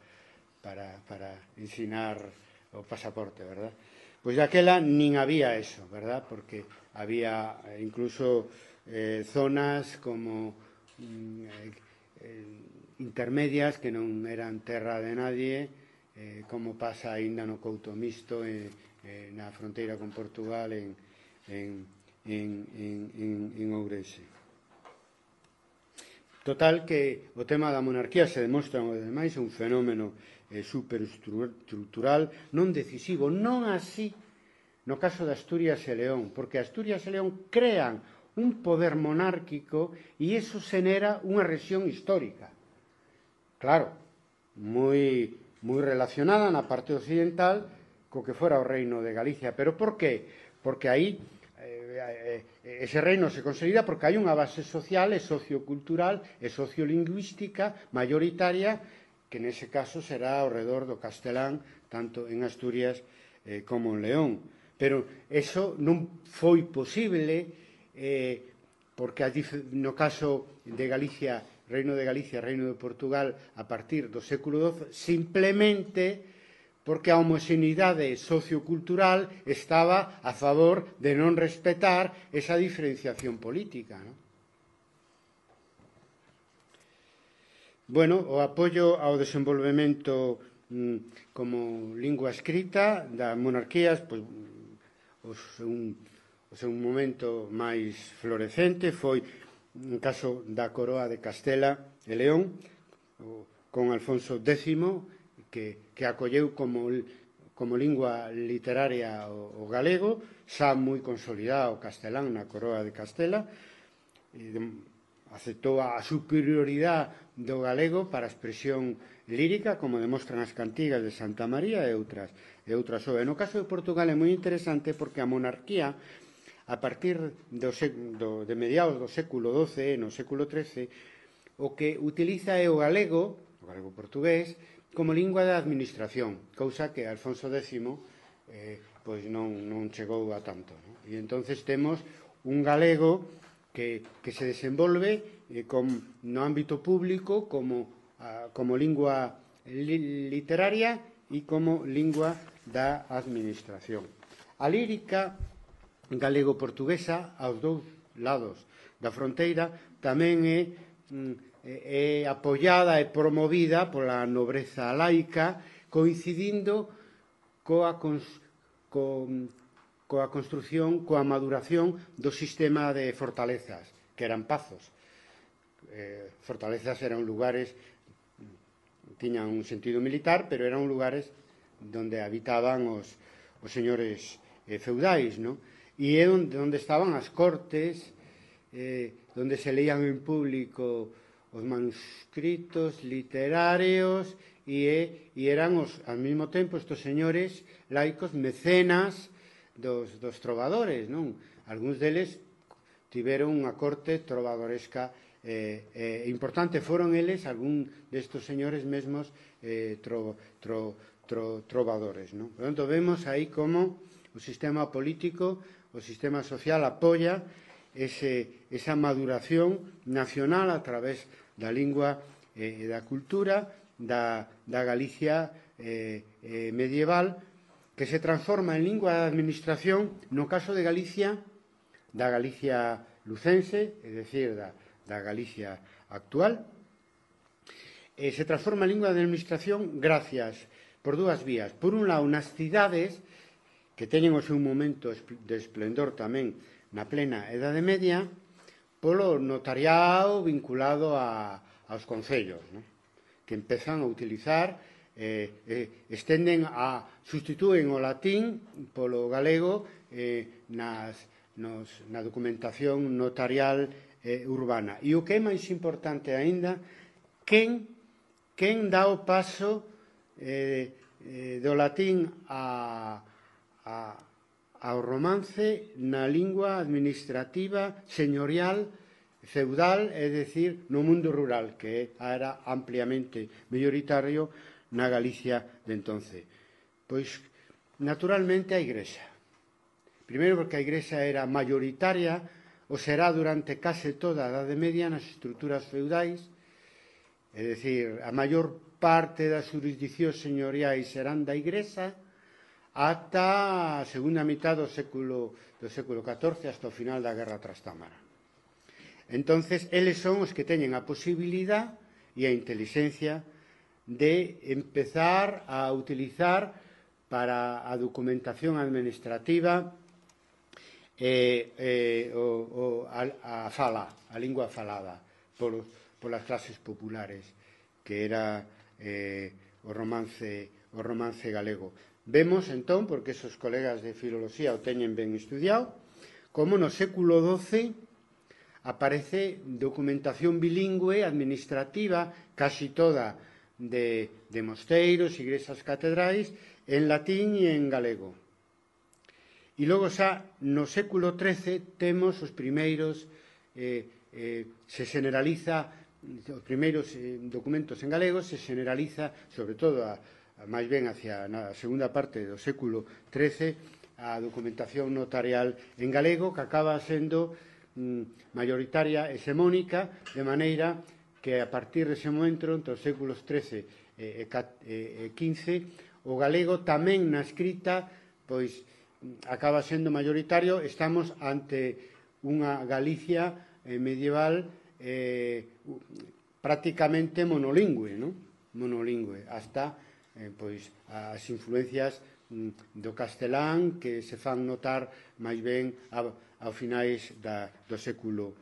Speaker 1: ensinar o pasaporte, verdad? Pois daquela nin había eso, verdad? Porque había incluso zonas como intermedias que non eran terra de nadie, como pasa aínda no Couto Misto, na fronteira con Portugal, en Ourense. Total que o tema da monarquía se demostra, ademais, un fenómeno superestructural, non decisivo, non así no caso de Asturias e León, porque Asturias e León crean un poder monárquico e iso xenera unha rexión histórica. Claro, moi relacionada na parte occidental co que fora o reino de Galicia. Pero por qué? Porque aí ese reino se consolida porque hai unha base social e sociocultural e sociolingüística mayoritaria, que nese caso será ao redor do castelán, tanto en Asturias como en León. Pero eso non foi posible porque no caso de Galicia, Reino de Galicia, Reino de Portugal, a partir do século XII, simplemente porque a homoxeneidade sociocultural estaba a favor de non respetar esa diferenciación política, non? Bueno, o apoio ao desenvolvemento como lingua escrita das monarquías, pois, o seu momento máis florecente foi no caso da coroa de Castela e León, con Alfonso X, que acolleu como lingua literaria o galego, xa moi consolidado o castelán na coroa de Castela, aceptou a superioridade do galego para a expresión lírica, como demostran as cantigas de Santa María e outras obras. No caso de Portugal é moi interesante porque a monarquía, a partir de mediados do século XII e no século XIII, o que utiliza é o galego portugués, como lingua da administración, cousa que Alfonso X pois non chegou a tanto, non? E entonces temos un galego que se desenvolve no ámbito público como lingua literaria e como lingua da administración. A lírica galego-portuguesa, aos dous lados da fronteira, tamén é apoiada e promovida pola nobreza laica, coincidindo coa construción, coa maduración do sistema de fortalezas, que eran pazos. Fortalezas eran lugares, tiñan un sentido militar, pero eran lugares onde habitaban os señores feudais, non? E é onde estaban as cortes, onde se leían en público os manuscritos literarios e eran ao mesmo tempo estes señores laicos mecenas dos trovadores, non? Algúns deles tiveron unha corte trovadoresca importante. Foron eles, algún destes señores mesmos, trovadores, non? Por tanto, vemos aí como o sistema político, o sistema social apoia esa maduración nacional a través da lingua e da cultura da Galicia medieval, que se transforma en lingua de administración no caso de Galicia, da Galicia lucense, é dicir, da Galicia actual, se transforma a lingua de administración gracias por dúas vías. Por un lado, nas cidades, que teñen o seu momento de esplendor tamén na plena Edade Media, polo notariado vinculado aos concellos, non? Que empezan a utilizar, sustitúen o latín polo galego na documentación notarial urbana. E o que é máis importante aínda, quen dá o paso do latín ao romance na lingua administrativa señorial feudal, é dicir, no mundo rural, que era ampliamente mayoritario na Galicia de entonces. Pois, naturalmente, a Igrexa. Primeiro, porque a Igrexa era mayoritaria, o será durante case toda a Edade Media nas estruturas feudais, é dicir, a maior parte das jurisdiccións señoriais serán da Igrexa ata a segunda mitad do século XIV, hasta o final da Guerra Trastámara. Entonces, eles son os que teñen a posibilidad e a intelixencia de empezar a utilizar para a documentación administrativa a lingua falada polas clases populares, que era o romance galego. Vemos, entón, porque esos colegas de filoloxía o teñen ben estudiado, como no século XII aparece documentación bilingüe administrativa, casi toda de mosteiros, igrexas catedrais, en latín e en galego. E logo xa no século XIII temos os primeiros, se generaliza, os primeiros documentos en galego, se generaliza, sobre todo máis ben hacia a segunda parte do século XIII, a documentación notarial en galego, que acaba sendo mayoritaria, hexemónica, de maneira que a partir dese momento, entre os séculos XIII e XV, o galego tamén na escrita, pois, acaba sendo mayoritario. Estamos ante unha Galicia medieval prácticamente monolingüe, non? Monolingüe, hasta pois as influencias do castelán que se fan notar máis ben ao finais do século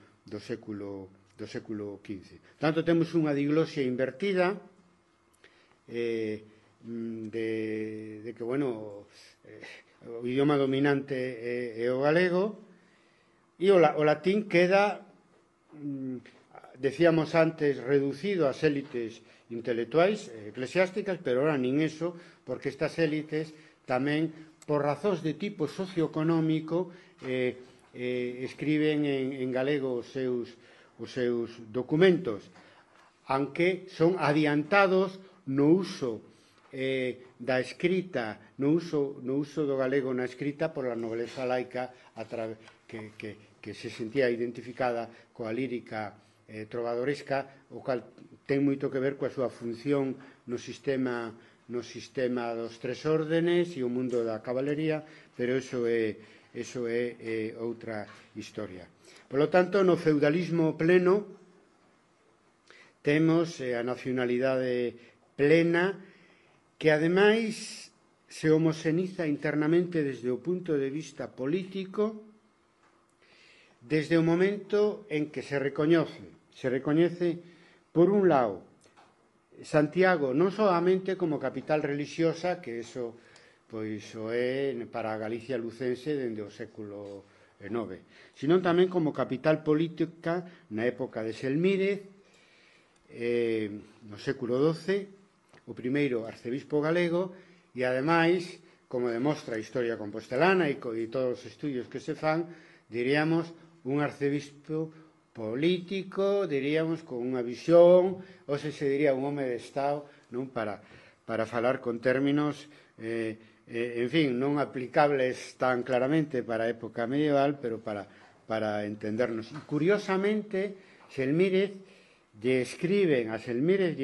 Speaker 1: XV. Tanto, temos unha diglosia invertida de que, bueno, o idioma dominante é o galego, e o latín queda, decíamos antes, reducido ás élites intelectuais, eclesiásticas, pero ahora nin eso, porque estas élites tamén, por razóns de tipo socioeconómico, escriben en galego os seus documentos, aunque son adiantados no uso da escrita, no uso do galego na escrita pola nobleza laica que se sentía identificada coa lírica trovadoresca, o cal ten moito que ver coa súa función no sistema dos tres órdenes e o mundo da cabalería, pero eso é outra historia. Por lo tanto, no feudalismo pleno temos a nacionalidade plena, que ademais se homoxeniza internamente desde o punto de vista político, desde o momento en que se recoñece, por un lado, Santiago non solamente como capital religiosa, que eso pois o é para a Galicia lucense dende o século IX, sino tamén como capital política na época de Selmírez, no século XII, o primeiro arcebispo galego, e ademais, como demostra a historia compostelana e todos os estudios que se fan, diríamos, un arcebispo político, diríamos, con unha visión, ou se diría un home de Estado, non, para falar con términos, en fin, non aplicables tan claramente para a época medieval, pero para entendernos. E, curiosamente, a Selmírez lle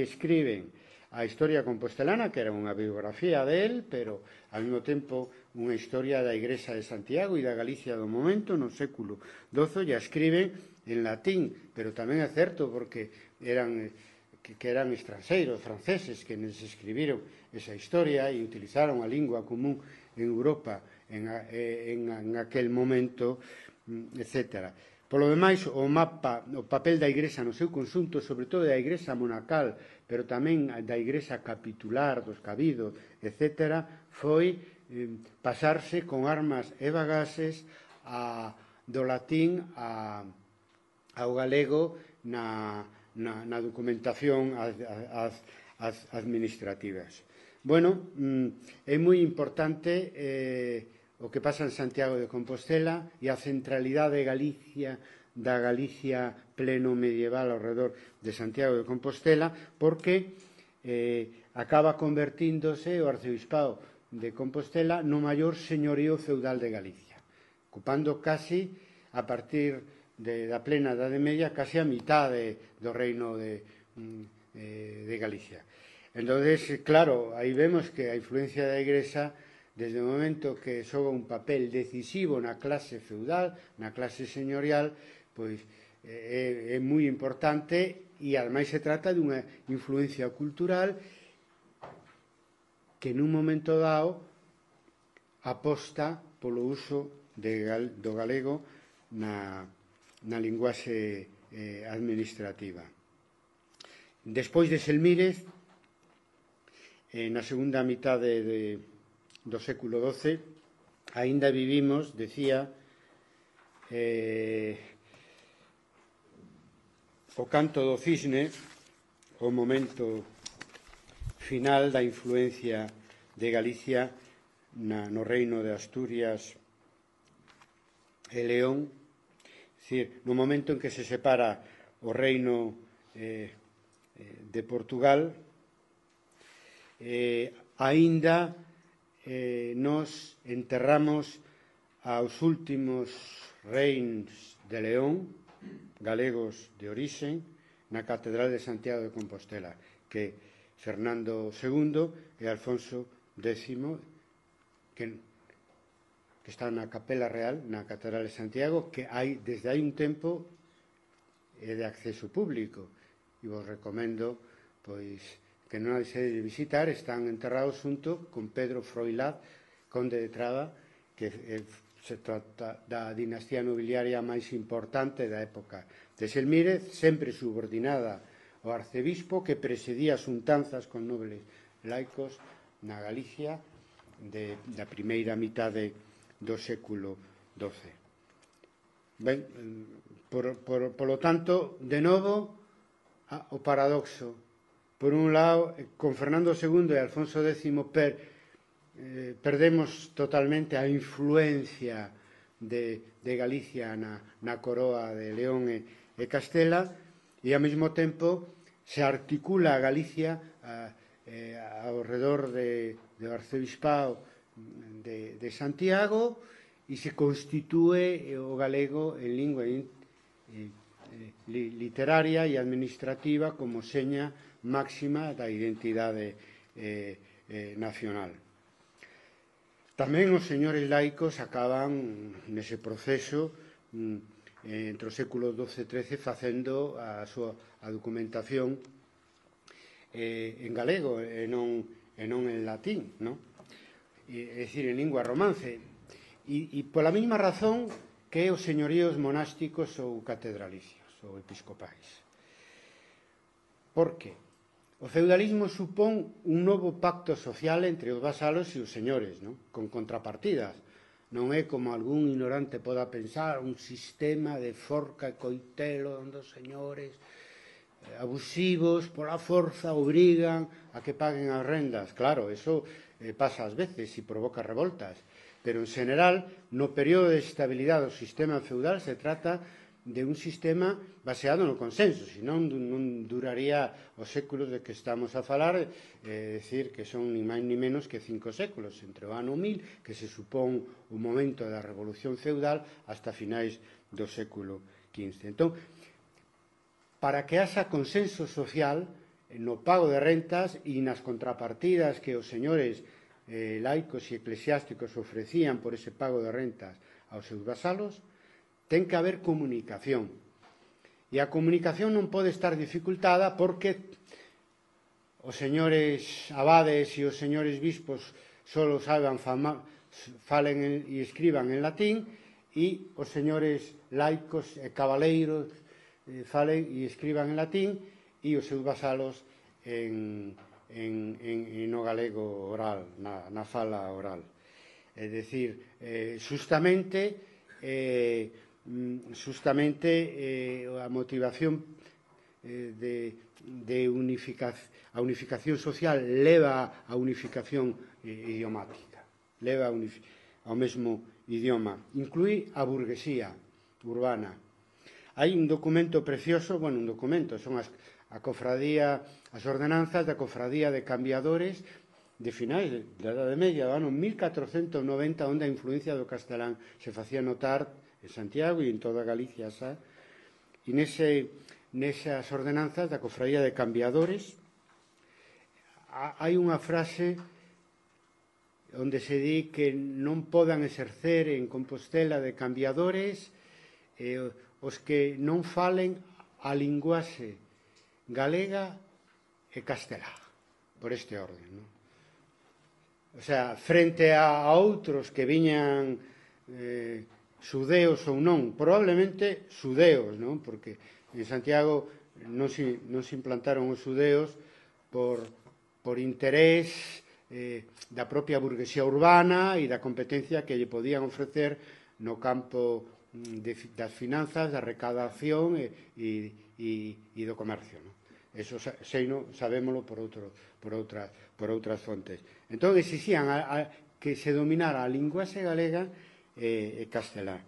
Speaker 1: escriben a historia compostelana, que era unha biografía del, pero ao mesmo tempo unha historia da Igrexa de Santiago e da Galicia do momento, no século XII, e a escriben en latín, pero tamén é certo porque eran que eran estranxeiros, franceses, que nos escribiron esa historia e utilizaron a lingua común en Europa en aquel momento, etc. Polo demais, o papel da Igrexa no seu conxunto, sobre todo da Igrexa monacal, pero tamén da Igrexa capitular, dos cabidos, etc., foi pasarse con armas e bagaxes do latín ao galego na documentación administrativas. Bueno, é moi importante o que pasa en Santiago de Compostela e a centralidade da Galicia pleno medieval ao redor de Santiago de Compostela, porque acaba convertíndose o arcebispado de Compostela no maior señorío feudal de Galicia, ocupando casi, a partir da plena Idade Media, casi a mitad do reino de Galicia. Entonces, claro, aí vemos que a influencia da Igrexa, desde o momento que xoga un papel decisivo na clase feudal, na clase señorial, pois é moi importante, e ademais se trata dunha influencia cultural que nun momento dado aposta polo uso do galego na linguaxe administrativa. Despois de Selmírez, na segunda mitade do século XII, aínda vivimos, decía, o canto do cisne, o momento final da influencia de Galicia no reino de Asturias e León, no momento en que se separa o reino de Portugal, aínda nos enterramos aos últimos reis de León, galegos de orixe, na Catedral de Santiago de Compostela, que Fernando II e Alfonso X, que está na Capela Real, na Catedral de Santiago, que desde hai un tempo é de acceso público, e vos recomendo que non hai de visitar. Están enterrados xunto con Pedro Froilaz, conde de Traba, que se trata da dinastía nobiliaria máis importante da época de Selmírez, sempre subordinada ao arcebispo, que presidía as untanzas con nobles laicos na Galicia da primeira mitade do século XII. Ben, polo tanto, de novo, o paradoxo. Por un lado, con Fernando II e Alfonso X perdemos totalmente a influencia de Galicia na coroa de León e Castela, e ao mesmo tempo se articula a Galicia ao redor do arcebispado de Santiago, e se constitúe o galego en lingua literaria e administrativa como seña máxima da identidade nacional. Tamén os señores laicos acaban nese proceso entre o século XII e XIII facendo a documentación en galego e non en latín, é dicir, en lingua romance, e pola mesma razón que os señoríos monásticos ou catedralicios ou episcopais. Por que? O feudalismo supón un novo pacto social entre os vasalos e os señores, con contrapartidas. Non é, como algún ignorante poda pensar, un sistema de forca e coitelo onde os señores abusivos pola forza obrigan a que paguen as rendas. Claro, eso pasa ás veces e provoca revoltas, pero en general, no período de estabilidade do sistema feudal se trata de un sistema baseado no consenso, senón non duraría os séculos de que estamos a falar, decir que son ni máis ni menos que 5 séculos, entre o ano 1000, que se supón o momento da revolución feudal, hasta finais do século XV. Entón, para que haxa consenso social no pago de rentas e nas contrapartidas que os señores laicos e eclesiásticos ofrecían por ese pago de rentas aos seus vasalos, ten que haber comunicación. E a comunicación non pode estar dificultada porque os señores abades e os señores bispos só saben falen e escriban en latín, e os señores laicos e cabaleiros falen e escriban en latín, e os seus vasalos no galego oral, na fala oral. É dicir, justamente a motivación a unificación social leva a unificación idiomática, leva ao mesmo idioma, inclui a burguesía urbana. Hai un documento precioso, bueno, un documento, son as ordenanzas da Cofradía de Cambiadores de finais da Idade Media, do ano 1490, onde a influencia do castelán se facía notar en Santiago e en toda Galicia xa. E nesas ordenanzas da Cofradía de Cambiadores hai unha frase onde se di que non podan exercer en Compostela de cambiadores os que non falen a linguaxe galega e castelá, por este orden, non? O sea, frente a outros que viñan xudeos ou non, probablemente xudeos, non? Porque en Santiago non se implantaron os xudeos por interés da propia burguesía urbana e da competencia que lle podían ofrecer no campo das finanzas, da recaudación e do comercio, non? Eso sabémolo por outras fontes. Entón, exixían que se dominara a linguaxe galega e castelá.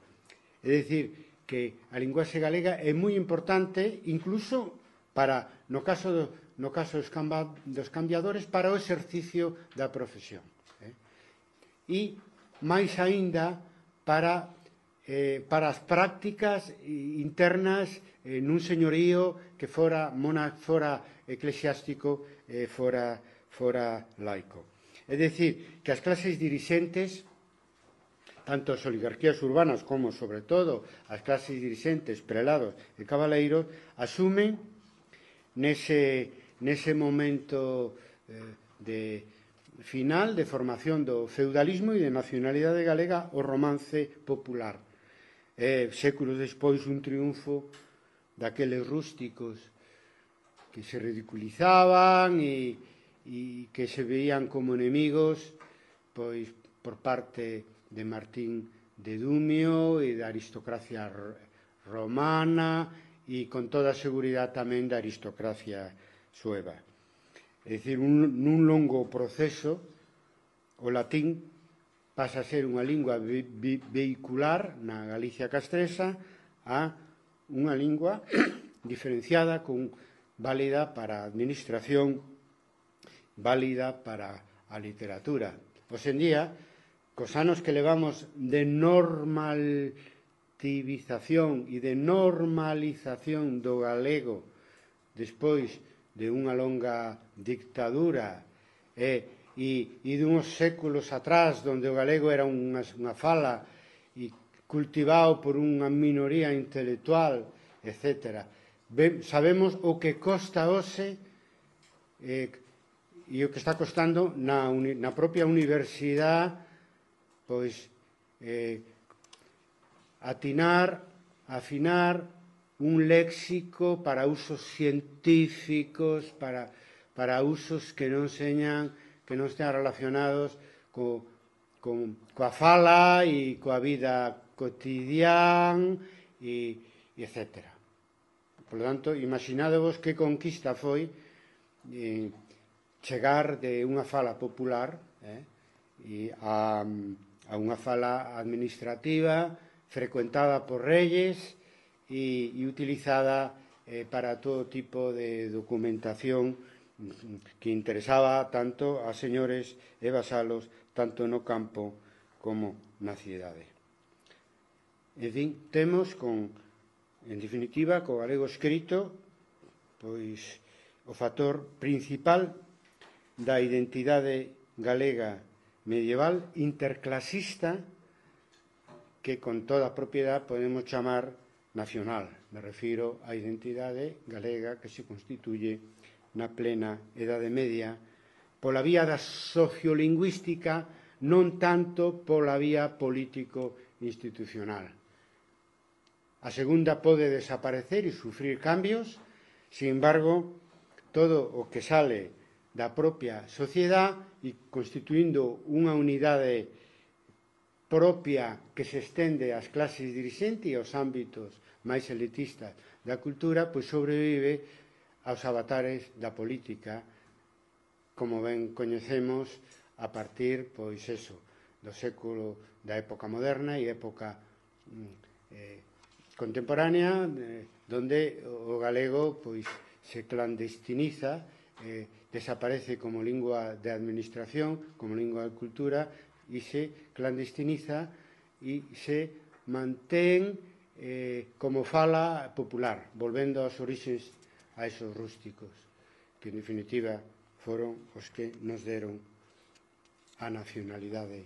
Speaker 1: É dicir, que a linguaxe galega é moi importante, incluso para, no caso dos cambiadores, para o exercicio da profesión. E, máis aínda, para as prácticas internas nun señorío que fora eclesiástico e fora laico. É dicir, que as clases dirixentes, tanto as oligarquías urbanas como, sobre todo, as clases dirixentes, prelados e cabaleiros, asumen nese momento final de formación do feudalismo e de nacionalidade galega o romance popular. Séculos despois, un triunfo daqueles rústicos que se ridiculizaban e que se veían como enemigos pois por parte de Martín de Dumio e da aristocracia romana e con toda a seguridade tamén da aristocracia sueva. É dicir, nun longo proceso, o latín pasa a ser unha lingua vehicular na Galicia castresa a unha lingua diferenciada, válida para a administración, válida para a literatura. Hoxe en día, cos anos que levamos de normativización e de normalización do galego despois de unha longa dictadura e dunhos séculos atrás onde o galego era unha fala e cultivado por unha minoría intelectual, etc. Sabemos o que costa hoxe e o que está costando na propia universidade pois afinar un léxico para usos científicos, para usos que non estean relacionados coa fala e coa vida cotidiana e etc. Por lo tanto, imaginadevos que conquista foi chegar de unha fala popular a unha fala administrativa frecuentada por reyes e utilizada para todo tipo de documentación que interesaba tanto a señores e vasalos tanto no campo como na cidade. En fin, temos en definitiva, co galego escrito, pois o factor principal da identidade galega medieval interclasista que con toda a propiedade podemos chamar nacional. Me refiro á identidade galega que se constituye na plena Idade Media pola vía da sociolingüística, non tanto pola vía político-institucional. A segunda pode desaparecer e sufrir cambios, sin embargo, todo o que sale da propia sociedade e constituindo unha unidade propia que se estende ás clases dirixentes e aos ámbitos máis elitistas da cultura, pois sobrevive aos avatares da política, como ben coñecemos a partir, pois eso, do século da época moderna e época contemporánea, donde o galego pois se clandestiniza, desaparece como lingua de administración, como lingua de cultura, e se clandestiniza e se mantén como fala popular, volvendo aos orixes a esos rústicos, que en definitiva foron os que nos deron a nacionalidade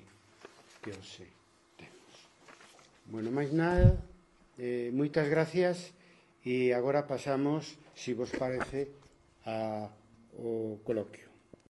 Speaker 1: que hoxe temos. Bueno, máis nada, moitas gracias, e agora pasamos, se vos parece, ao coloquio.